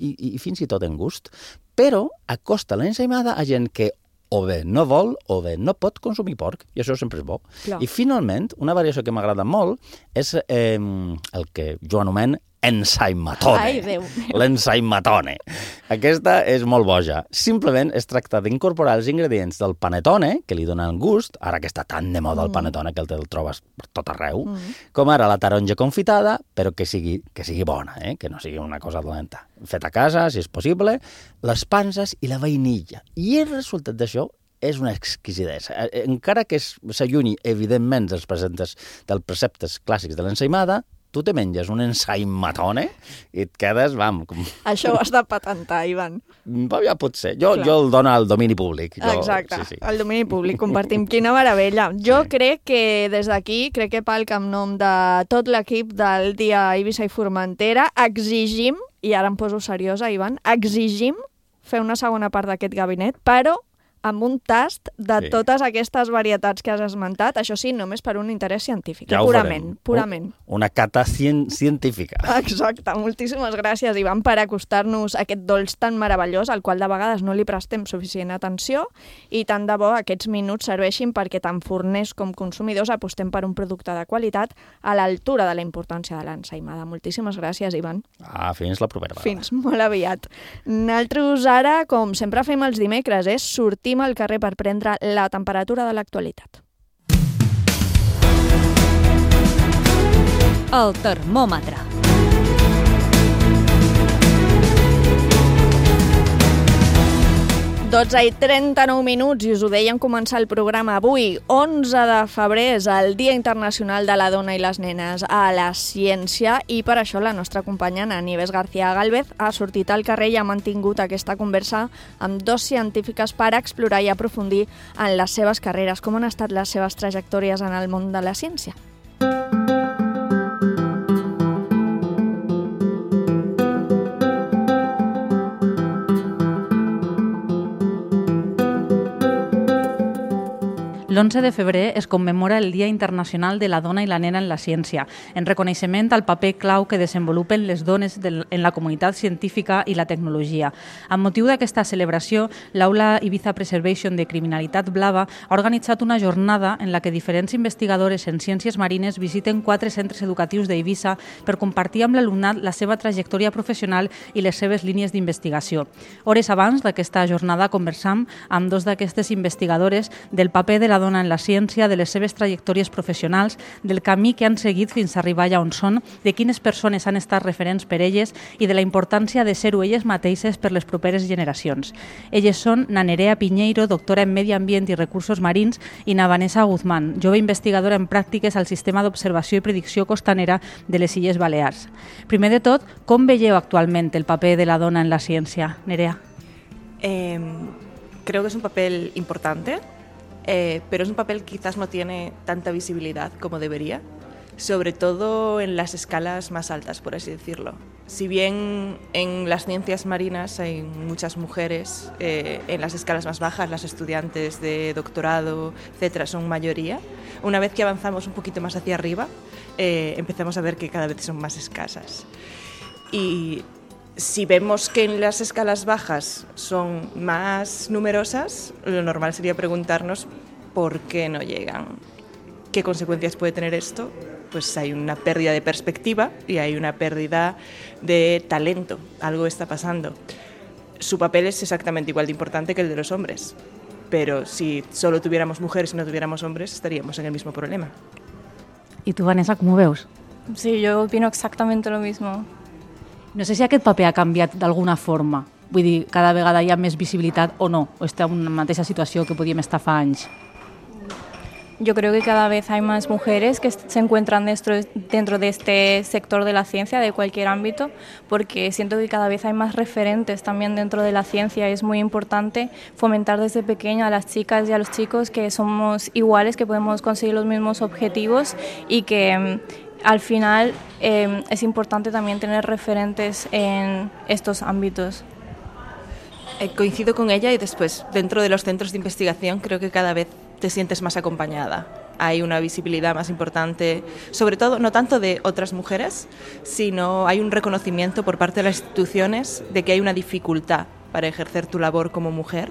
i fins i tot en gust, però acosta l'ensaïmada a gent que o bé no vol o bé no pot consumir porc, i això sempre és bo. Clar. I finalment, una variació que m'agrada molt és el que jo anomen ensaimatone. Ai, Déu meu. L'ensaimatone. Aquesta és molt boja. Simplement es tracta d'incorporar els ingredients del panetone, que li donen gust, ara que està tan de moda el panetone que el trobes per tot arreu, com ara la taronja confitada, però que sigui bona, que no sigui una cosa dolenta. Fet a casa, si és possible, les panses i la vainilla. I el resultat d'això és una exquisidesa. Encara que s'allunyi, evidentment, dels preceptes clàssics de l'ensaïmada, tu te menges un ensaimatone i et quedes, Això ho has de patentar, Ivan. Ja pot ser. Jo el dono al domini públic. Exacte, al domini públic, compartim. Quina meravella. Jo crec que des d'aquí, crec que Palc, en nom de tot l'equip del Dia Eivissa i Formentera, exigim, i ara em poso seriosa, Ivan, exigim fer una segona part d'aquest gabinet, però amb un tast de totes aquestes varietats que has esmentat, això sí, només per un interès científic, purament. Una cata científica. Exacte, moltíssimes gràcies, Ivan, per acostar-nos a aquest dolç tan meravellós, al qual de vegades no li prestem suficient atenció, i tant de bo aquests minuts serveixin perquè tant forners com consumidors apostem per un producte de qualitat a l'altura de la importància de l'ensaïmada. Moltíssimes gràcies, Ivan. Fins la propera vegada. Fins molt aviat. Nosaltres ara, com sempre fem els dimecres, sortim al carrer per prendre la temperatura de l'actualitat. El termòmetre. Dotze i 39 minuts, i us ho deia en començar el programa avui. 11 de febrer és el Dia Internacional de la Dona i les Nenes a la Ciència, i per això la nostra companya Nieves García Gálvez ha sortit al carrer i ha mantingut aquesta conversa amb dos científiques per explorar i aprofundir en les seves carreres. Com han estat les seves trajectòries en el món de la ciència? L'11 de febrer es commemora el Dia Internacional de la Dona i la Nena en la Ciència, en reconeixement al paper clau que desenvolupen les dones en la comunitat científica i la tecnologia. Amb motiu d'aquesta celebració, l'Aula Ibiza Preservation de Criminalitat Blava ha organitzat una jornada en la que diferents investigadores en ciències marines visiten 4 centres educatius d'Eivissa per compartir amb l'alumnat la seva trajectòria professional i les seves línies d'investigació. Hores abans d'aquesta jornada conversam amb dos d'aquestes investigadores del paper de la dona en la ciència, de les seves trajectòries professionals, del camí que han seguit fins a arribar allà on són, de quines persones han estat referents per elles i de la importància de ser-ho elles mateixes per les properes generacions. Elles són na Nerea Piñeiro, doctora en Medi Ambient i Recursos Marins, i na Vanessa Guzmán, jove investigadora en pràctiques al Sistema d'Observació i Predicció Costanera de les Illes Balears. Primer de tot, com veieu actualment el paper de la dona en la ciència? Nerea. Creo que es un papel importante. Pero es un papel que quizás no tiene tanta visibilidad como debería, sobre todo en las escalas más altas, por así decirlo. Si bien en las ciencias marinas hay muchas mujeres, en las escalas más bajas, las estudiantes de doctorado, etcétera, son mayoría, una vez que avanzamos un poquito más hacia arriba, empezamos a ver que cada vez son más escasas. Y si vemos que en las escalas bajas son más numerosas, lo normal sería preguntarnos por qué no llegan. ¿Qué consecuencias puede tener esto? Pues hay una pérdida de perspectiva y hay una pérdida de talento. Algo está pasando. Su papel es exactamente igual de importante que el de los hombres. Pero si solo tuviéramos mujeres y no tuviéramos hombres, estaríamos en el mismo problema. ¿Y tú, Vanessa, cómo veus? Sí, yo opino exactamente lo mismo. No sé si aquest paper ha canviat d'alguna forma. Vull dir, cada vegada hi ha més visibilitat o no, o està en una mateixa situació que podíem estar fa anys. Yo creo que cada vez hay más mujeres que se encuentran dentro de este sector de la ciencia, de cualquier ámbito, porque siento que cada vez hay más referentes también dentro de la ciencia. Es muy importante fomentar desde pequeña a las chicas y a los chicos que somos iguales, que podemos conseguir los mismos objetivos y que al final es importante también tener referentes en estos ámbitos. Coincido con ella y después, dentro de los centros de investigación, creo que cada vez te sientes más acompañada. Hay una visibilidad más importante, sobre todo, no tanto de otras mujeres, sino hay un reconocimiento por parte de las instituciones de que hay una dificultad para ejercer tu labor como mujer.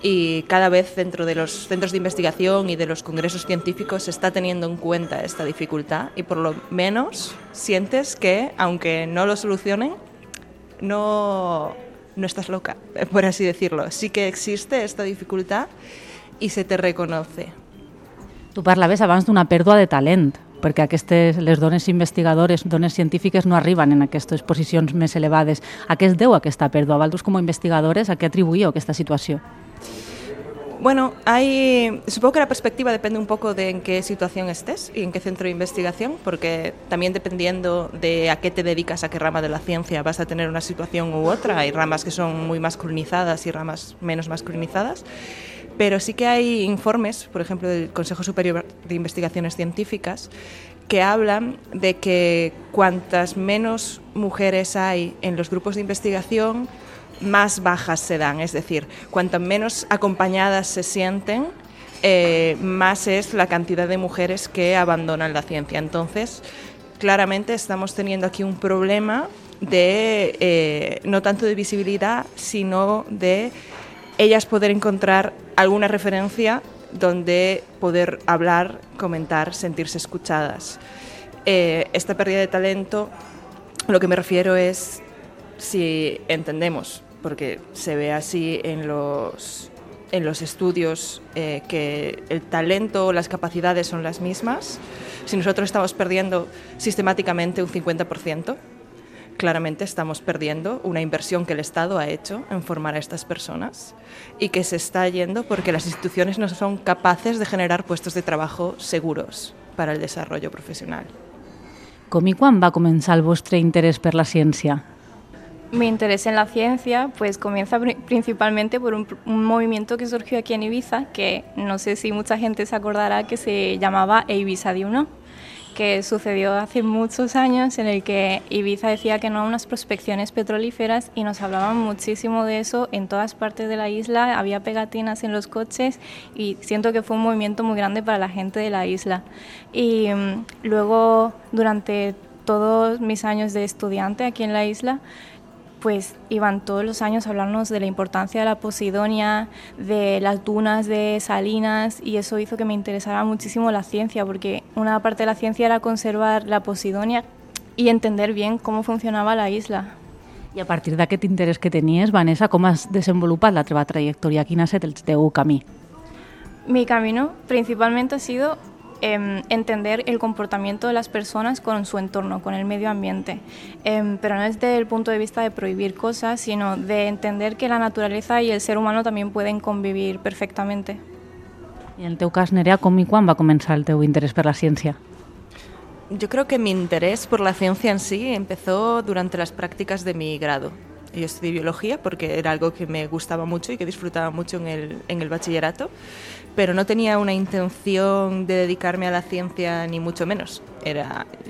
Y cada vez dentro de los centros de investigación y de los congresos científicos se está teniendo en cuenta esta dificultad y por lo menos sientes que, aunque no lo solucionen, no estás loca, por así decirlo. Sí que existe esta dificultad i se te reconoce. Tu parlaves abans d'una pèrdua de talent, perquè les dones investigadores, dones científiques, no arriben en aquestes posicions més elevades. A què es deu aquesta pèrdua? Vosaltres, com a investigadores, a què atribuïu aquesta situació? Bueno, supongo que la perspectiva depende un poco de en qué situación estés y en qué centro de investigación, porque también dependiendo de a qué te dedicas, a qué rama de la ciencia, vas a tener una situación u otra. Hay ramas que son muy masculinizadas y ramas menos masculinizadas, pero sí que hay informes, por ejemplo, del Consejo Superior de Investigaciones Científicas, que hablan de que cuantas menos mujeres hay en los grupos de investigación, más bajas se dan, es decir, cuanto menos acompañadas se sienten, más es la cantidad de mujeres que abandonan la ciencia. Entonces, claramente estamos teniendo aquí un problema de no tanto de visibilidad, sino de ellas poder encontrar alguna referencia donde poder hablar, comentar, sentirse escuchadas. Esta pérdida de talento, lo que me refiero es, si entendemos, porque se ve así en los estudios, que el talento o las capacidades son las mismas. Si nosotros estamos perdiendo sistemáticamente un 50%, claramente estamos perdiendo una inversión que el Estado ha hecho en formar a estas personas y que se está yendo porque las instituciones no son capaces de generar puestos de trabajo seguros para el desarrollo profesional. Com i quan va començar el vostre interès per la ciència? Mi interés en la ciencia pues comienza principalmente por un movimiento que surgió aquí en Ibiza, que no sé si mucha gente se acordará, que se llamaba Ibiza di uno, que sucedió hace muchos años, en el que Ibiza decía que no a unas prospecciones petrolíferas y nos hablaban muchísimo de eso en todas partes de la isla, había pegatinas en los coches y siento que fue un movimiento muy grande para la gente de la isla. Y luego, durante todos mis años de estudiante aquí en la isla, pues iban todos los años a hablarnos de la importancia de la Posidonia, de las dunas de Salinas, y eso hizo que me interesara muchísimo la ciencia, porque una parte de la ciencia era conservar la Posidonia y entender bien cómo funcionaba la isla. I a partir d'aquest interès que tenies, Vanessa, com has desenvolupat la teva trajectòria? Quin ha estat el teu camí? Mi camino principalmente ha sido entender el comportamiento de las personas con su entorno, con el medio ambiente, pero no desde el punto de vista de prohibir cosas, sino de entender que la naturaleza y el ser humano también pueden convivir perfectamente. I en el teu cas, Nerea, com i quan va començar el teu interès per la ciència? Yo creo que mi interés por la ciencia en sí empezó durante las prácticas de mi grado. Yo estudié biología porque era algo que me gustaba mucho y que disfrutaba mucho en el bachillerato, pero no tenía una intención de dedicarme a la ciencia ni mucho menos.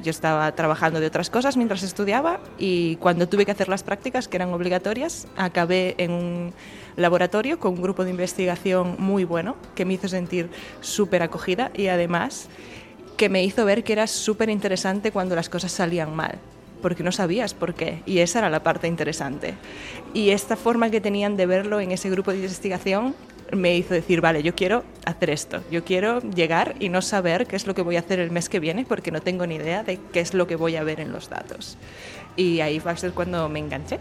Yo estaba trabajando de otras cosas mientras estudiaba y cuando tuve que hacer las prácticas, que eran obligatorias, acabé en un laboratorio con un grupo de investigación muy bueno que me hizo sentir súper acogida y además que me hizo ver que era súper interesante cuando las cosas salían mal, porque no sabías por qué, y esa era la parte interesante. Y esta forma que tenían de verlo en ese grupo de investigación me hizo decir, vale, yo quiero hacer esto, yo quiero llegar y no saber qué es lo que voy a hacer el mes que viene, porque no tengo ni idea de qué es lo que voy a ver en los datos. Y ahí va a ser cuando me enganché.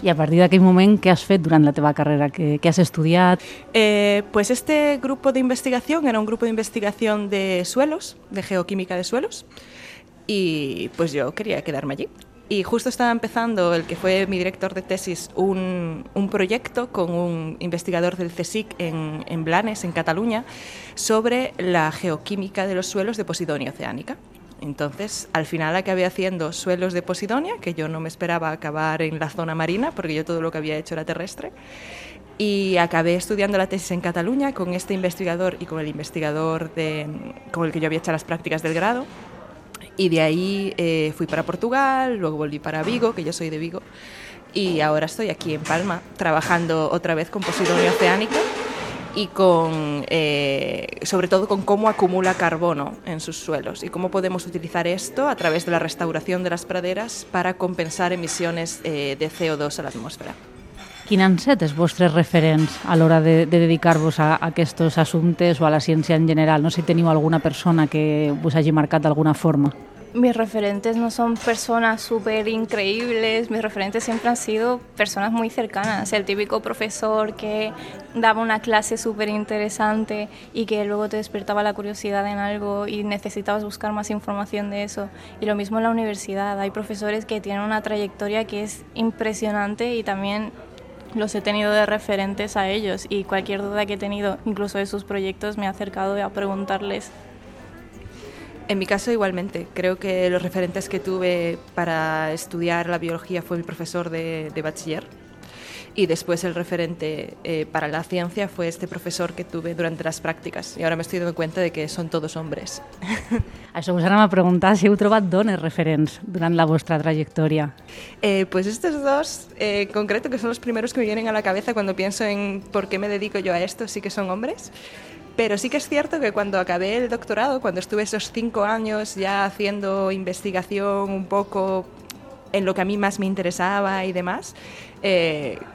I a partir d'aquell moment, què has fet durant la teva carrera? Què has estudiat? Pues este grupo de investigación era un grupo de investigación de suelos, de geoquímica de suelos, y pues yo quería quedarme allí. Y justo estaba empezando el que fue mi director de tesis un proyecto con un investigador del CSIC en Blanes, en Cataluña, sobre la geoquímica de los suelos de Posidonia oceánica. Entonces, al final acabé haciendo suelos de Posidonia, que yo no me esperaba acabar en la zona marina, porque yo todo lo que había hecho era terrestre, y acabé estudiando la tesis en Cataluña con este investigador y con el investigador con el que yo había hecho las prácticas del grado. Y de ahí fui para Portugal, luego volví para Vigo, que yo soy de Vigo, y ahora estoy aquí en Palma trabajando otra vez con Posidonia oceánica y sobre todo con cómo acumula carbono en sus suelos y cómo podemos utilizar esto a través de la restauración de las praderas para compensar emisiones de CO2 a la atmósfera. Quins han set els vostres referents a l'hora de dedicar-vos a aquests assumptes o a la ciència en general? No sé si teniu alguna persona que us hagi marcat d'alguna forma. Mis referentes no son personas súper increíbles, mis referentes siempre han sido personas muy cercanas. El típico profesor que daba una clase súper interesante y que luego te despertaba la curiosidad en algo y necesitabas buscar más información de eso. Y lo mismo en la universidad, hay profesores que tienen una trayectoria que es impresionante y también los he tenido de referentes a ellos, y cualquier duda que he tenido, incluso de sus proyectos, me he acercado a preguntarles. En mi caso igualmente, creo que los referentes que tuve para estudiar la biología fue mi profesor de bachiller, y después el referente para la ciencia fue este profesor que tuve durante las prácticas, y ahora me estoy dando cuenta de que son todos hombres. Això us anem a preguntar si heu trobat dones referents durant la vostra trayectoria. Pues estos dos, en concreto, que son los primeros que me vienen a la cabeza cuando pienso en por qué me dedico yo a esto, sí que son hombres. Pero sí que es cierto que cuando acabé el doctorado, cuando estuve esos 5 años ya haciendo investigación un poco en lo que a mí más me interesaba y demás,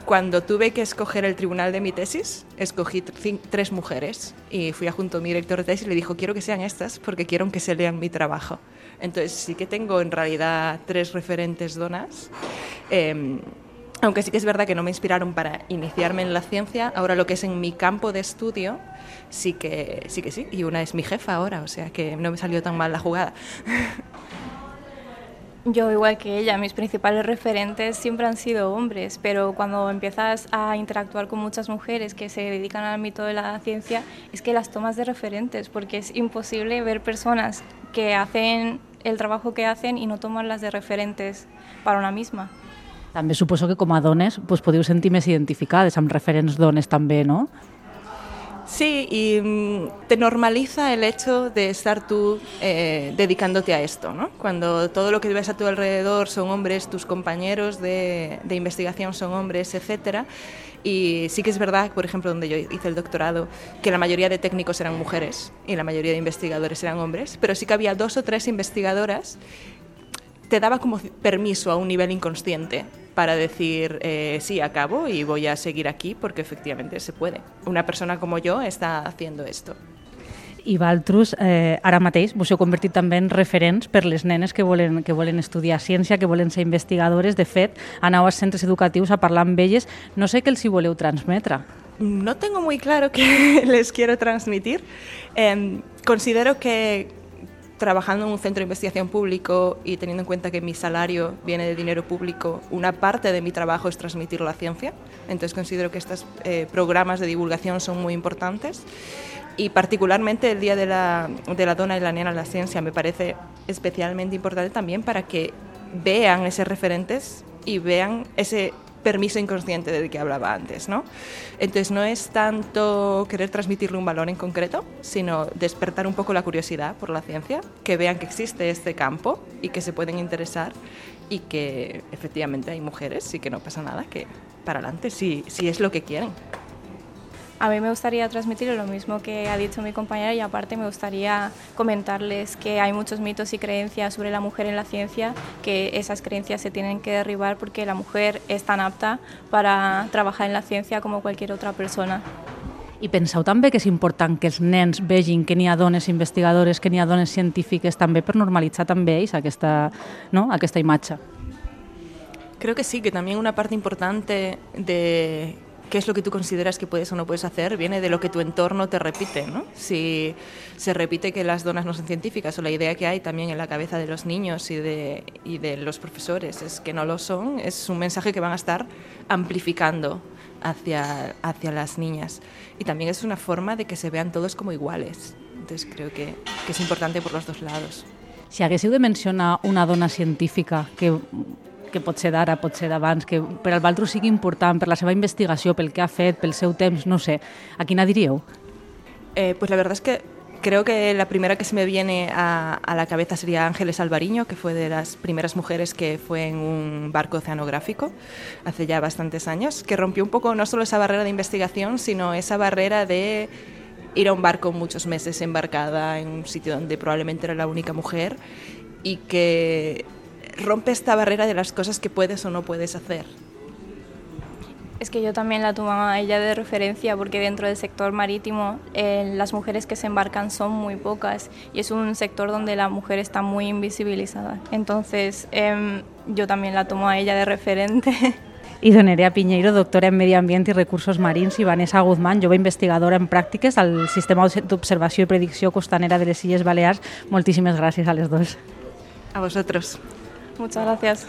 cuando tuve que escoger el tribunal de mi tesis, escogí 3 mujeres y fui junto a mi director de tesis y le dijo: quiero que sean estas porque quiero que se lean mi trabajo. Entonces sí que tengo en realidad 3 referentes donas. Aunque sí que es verdad que no me inspiraron para iniciarme en la ciencia, ahora lo que es en mi campo de estudio, sí que sí. Y una es mi jefa ahora, o sea que no me salió tan mal la jugada. Yo, igual que ella, mis principales referentes siempre han sido hombres, pero cuando empiezas a interactuar con muchas mujeres que se dedican al ámbito de la ciencia, es que las tomas de referentes, porque es imposible ver personas que hacen el trabajo que hacen y no tomarlas de referentes para una misma. També suposo que com a dones podeu sentir més identificades amb referents dones també, ¿no? Sí, y te normaliza el hecho de estar tú dedicándote a esto, ¿no? Cuando todo lo que ves a tu alrededor son hombres, tus compañeros de investigación son hombres, etcétera. Y sí que es verdad, por ejemplo, donde yo hice el doctorado, que la mayoría de técnicos eran mujeres y la mayoría de investigadores eran hombres, pero sí que había 2 o 3 investigadoras. Te daba como permiso a un nivel inconsciente para decir, sí, acabo y voy a seguir aquí porque efectivamente se puede. Una persona como yo está haciendo esto. I vosaltres, ara mateix, vos heu convertit també en referents per les nenes que volen estudiar ciència, que volen ser investigadores. De fet, aneu als centres educatius a parlar amb elles. No sé què els hi voleu transmetre. No tengo muy claro qué les quiero transmitir. Considero que trabajando en un centro de investigación público y teniendo en cuenta que mi salario viene de dinero público, una parte de mi trabajo es transmitir la ciencia. Entonces considero que estos programas de divulgación son muy importantes. Y particularmente el Día de la Dona y la Nena en la Ciencia me parece especialmente importante también para que vean esos referentes y vean ese permiso inconsciente del que hablaba antes, ¿no? Entonces no es tanto querer transmitirle un valor en concreto, sino despertar un poco la curiosidad por la ciencia, que vean que existe este campo y que se pueden interesar y que efectivamente hay mujeres y que no pasa nada, que para adelante si es lo que quieren. A mí me gustaría transmitir lo mismo que ha dicho mi compañera, y aparte me gustaría comentarles que hay muchos mitos y creencias sobre la mujer en la ciencia, que esas creencias se tienen que derribar porque la mujer es tan apta para trabajar en la ciencia como cualquier otra persona. I penseu també que és important que els nens vegin que n'hi ha dones investigadores, que n'hi ha dones científiques, també per normalitzar també ells aquesta imatge? Creo que sí, que también una parte importante de qué es lo que tú consideras que puedes o no puedes hacer viene de lo que tu entorno te repite, ¿no? Si se repite que las donas no son científicas, o la idea que hay también en la cabeza de los niños y de los profesores es que no lo son, es un mensaje que van a estar amplificando hacia las niñas. Y también es una forma de que se vean todos como iguales. Entonces creo que es importante por los dos lados. Si haguéssiu de mencionar una dona científica que pot ser d'ara, pot ser d'abans, que per al vosaltres sigui important, per la seva investigació, pel que ha fet, pel seu temps, no sé, ¿a quina diríeu? Pues la verdad es que creo que la primera que se me viene a la cabeza sería Ángeles Alvariño, que fue de las primeras mujeres que fue en un barco oceanográfico hace ya bastantes años, que rompió un poco no solo esa barrera de investigación, sino esa barrera de ir a un barco muchos meses embarcada en un sitio donde probablemente era la única mujer, y que rompe esta barrera de las cosas que puedes o no puedes hacer. Es que yo también la tomo a ella de referencia porque dentro del sector marítimo las mujeres que se embarcan son muy pocas y es un sector donde la mujer está muy invisibilizada. Entonces yo también la tomo a ella de referente. I Nerea Piñeiro, doctora en Medi Ambient i Recursos Marins, i Vanessa Guzmán, jove investigadora en pràctiques al Sistema d'Observació i Predicció Costanera de les Illes Balears. Moltíssimes gràcies a les dos. A vosotros. Muchas gracias.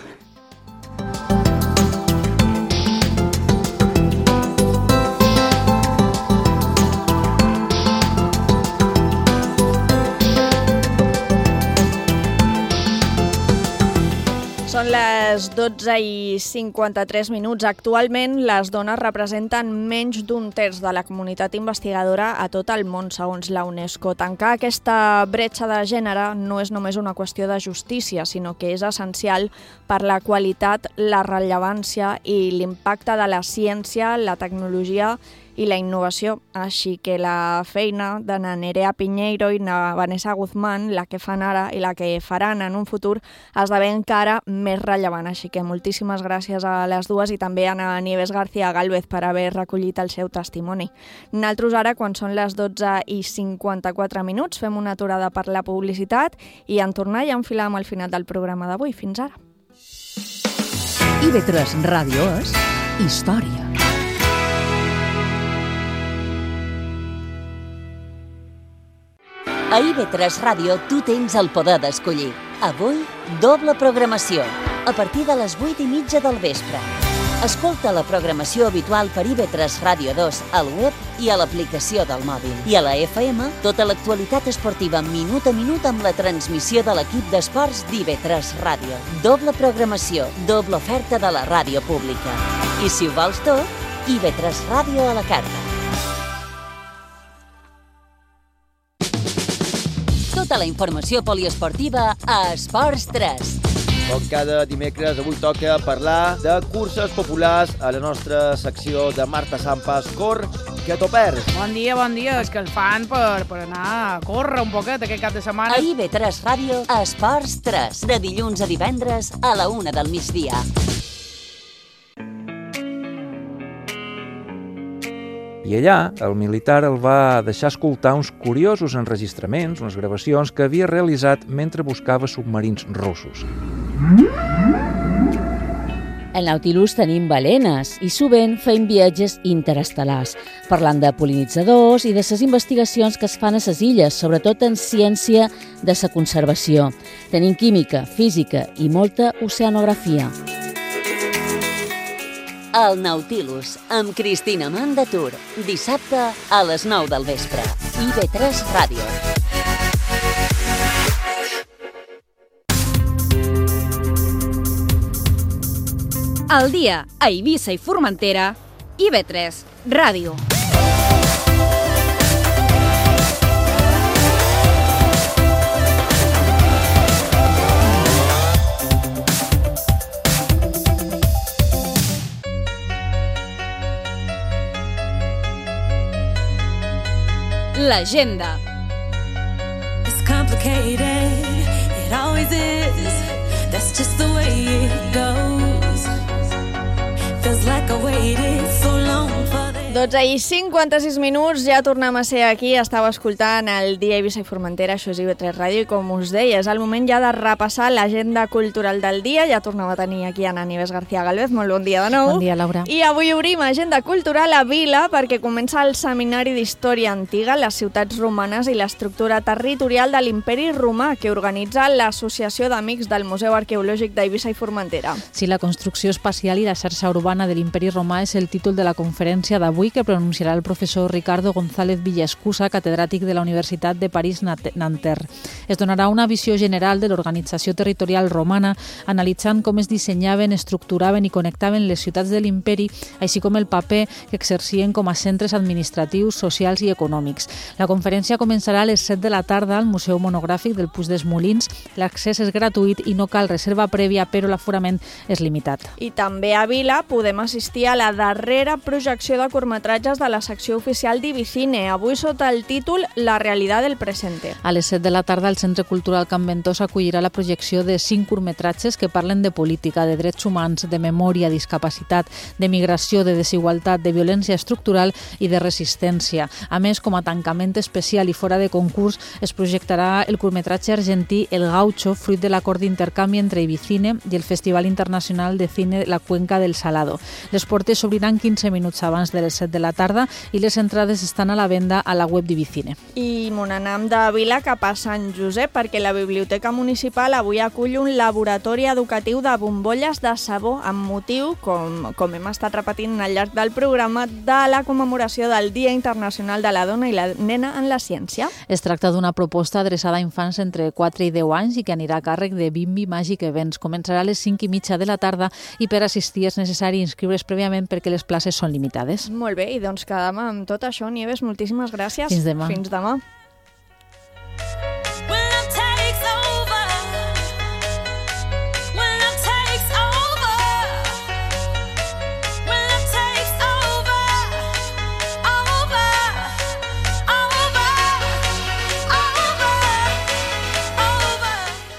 Són les 12:53. Actualment, les dones representen menys d'un terç de la comunitat investigadora a tot el món, segons la UNESCO. Tancar aquesta bretxa de gènere no és només una qüestió de justícia, sinó que és essencial per la qualitat, la rellevància i l'impacte de la ciència, la tecnologia i la innovació. Així que la feina de Nerea Piñeiro i Vanessa Guzmán, la que fan ara i la que faran en un futur, esdevé encara més rellevant. Així que moltíssimes gràcies a les dues i també a Nieves García Gálvez per haver recollit el seu testimoni. Nosaltres ara, quan són les 12:54, fem una aturada per la publicitat i en tornar i enfilar amb el final del programa d'avui. Fins ara. IB3 Ràdio és història. A IB3 Ràdio tu tens el poder d'escollir. Avui, doble programació, a partir de les 8:30 del vespre. Escolta la programació habitual per IB3 Ràdio 2 al web i a l'aplicació del mòbil. I a la FM, tota l'actualitat esportiva minut a minut amb la transmissió de l'equip d'esports d'IB3 Ràdio. Doble programació, doble oferta de la ràdio pública. I si ho vols tot, IB3 Ràdio a la carta. Tota la informació poliesportiva a Esports 3. Com cada dimecres, avui toca parlar de curses populars a la nostra secció de Marta Sampas. Cor, que t'ho perds. Bon dia, és que el fan per anar a córrer un poquet aquest cap de setmana. A IB3 Ràdio, Esports 3, de dilluns a divendres a la 1 del migdia. I allà, el militar el va deixar escoltar uns curiosos enregistraments, unes gravacions que havia realitzat mentre buscava submarins russos. Al Nautilus tenim balenes i sovint feim viatges interestel·lars, parlant de pol·linitzadors i de les investigacions que es fan a les illes, sobretot en ciència de la conservació. Tenim química, física i molta oceanografia. El Nautilus, amb Cristina Mandatur, dissabte a les 9 del vespre. IB3 Ràdio. El dia a Eivissa i Formentera, IB3 Ràdio. L'agenda. It's complicated, it always is. That's just the way it goes. Feels like I waited so long for this. 12:56, ja tornem a ser aquí. Estava escoltant el dia Eivissa i Formentera, això és IB3 Ràdio, i com us deia, és el moment ja de repassar l'agenda cultural del dia. Ja tornem a tenir aquí a Nieves García Gálvez. Molt bon dia de nou. Bon dia, Laura. I avui obrim agenda cultural a Vila perquè comença el Seminari d'Història Antiga, les ciutats romanes i l'estructura territorial de l'Imperi Romà, que organitza l'Associació d'Amics del Museu Arqueològic d'Eivissa i Formentera. Sí, la construcció espacial i la xarxa urbana de l'Imperi Romà és el títol de la conferència d'avui que pronunciarà el professor Ricardo González Villaescusa, catedràtic de la Universitat de París-Nanterre. Es donarà una visió general de l'organització territorial romana, analitzant com es dissenyaven, estructuraven i connectaven les ciutats de l'imperi, així com el paper que exercien com a centres administratius, socials i econòmics. La conferència començarà a les 7 de la tarda al Museu Monogràfic del Puig dels Molins. L'accés és gratuït i no cal reserva prèvia, però l'aforament és limitat. I també a Vila podem assistir a la darrera projecció de curtmetratge curtmetratges de la secció oficial d'Ibicine, avui sota el títol La realidad del presente. A les 7 de la tarda, el Centre Cultural Can Ventós acollirà la projecció de 5 curtmetratges que parlen de política, de drets humans, de memòria, discapacitat, de migració, de desigualtat, de violència estructural i de resistència. A més, com a tancament especial i fora de concurs, es projectarà el curtmetratge argentí El Gaucho, fruit de l'acord d'intercanvi entre Ibicine i el Festival Internacional de Cine La Cuenca del Salado. Les portes s'obriran 15 minuts abans de les 7 de la tarda i les entrades estan a la venda a la web d'Ibicine. I m'anam de Vila cap a Sant Josep perquè la Biblioteca Municipal avui acull un laboratori educatiu de bombolles de sabó amb motiu, com hem estat repetint al llarg del programa, de la commemoració del Dia Internacional de la Dona i la Nena en la Ciència. Es tracta d'una proposta adreçada a infants entre 4 i 10 anys i que anirà a càrrec de Bimbi Magic Events. Començarà a les 5:30 de la tarda i per assistir és necessari inscriure's prèviament perquè les places són limitades. Molt bé, i doncs quedam amb tot això. Nieves, moltíssimes gràcies. Fins demà. Fins demà.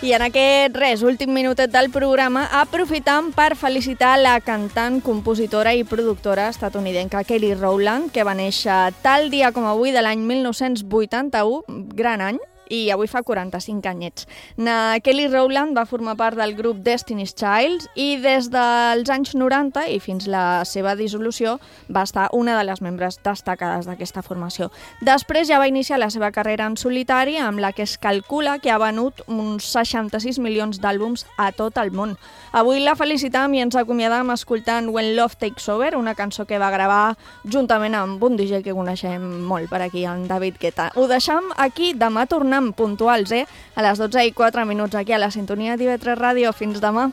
I en aquest últim minutet del programa aprofitam per felicitar la cantant, compositora i productora estatunidenca Kelly Rowland, que va néixer tal dia com avui de l'any 1981, gran any, i avui fa 45 anyets. Kelly Rowland va formar part del grup Destiny's Child i des dels anys 90 i fins la seva dissolució va estar una de les membres destacades d'aquesta formació. Després ja va iniciar la seva carrera en solitari, amb la que es calcula que ha venut uns 66 milions d'àlbums a tot el món. Avui la felicitam i ens acomiadam escoltant When Love Takes Over, una cançó que va gravar juntament amb un DJ que coneixem molt per aquí, en David Guetta. Ho deixam aquí, demà tornem puntuals, a les 12:04 aquí a la sintonia d'IV3 Ràdio. Fins demà.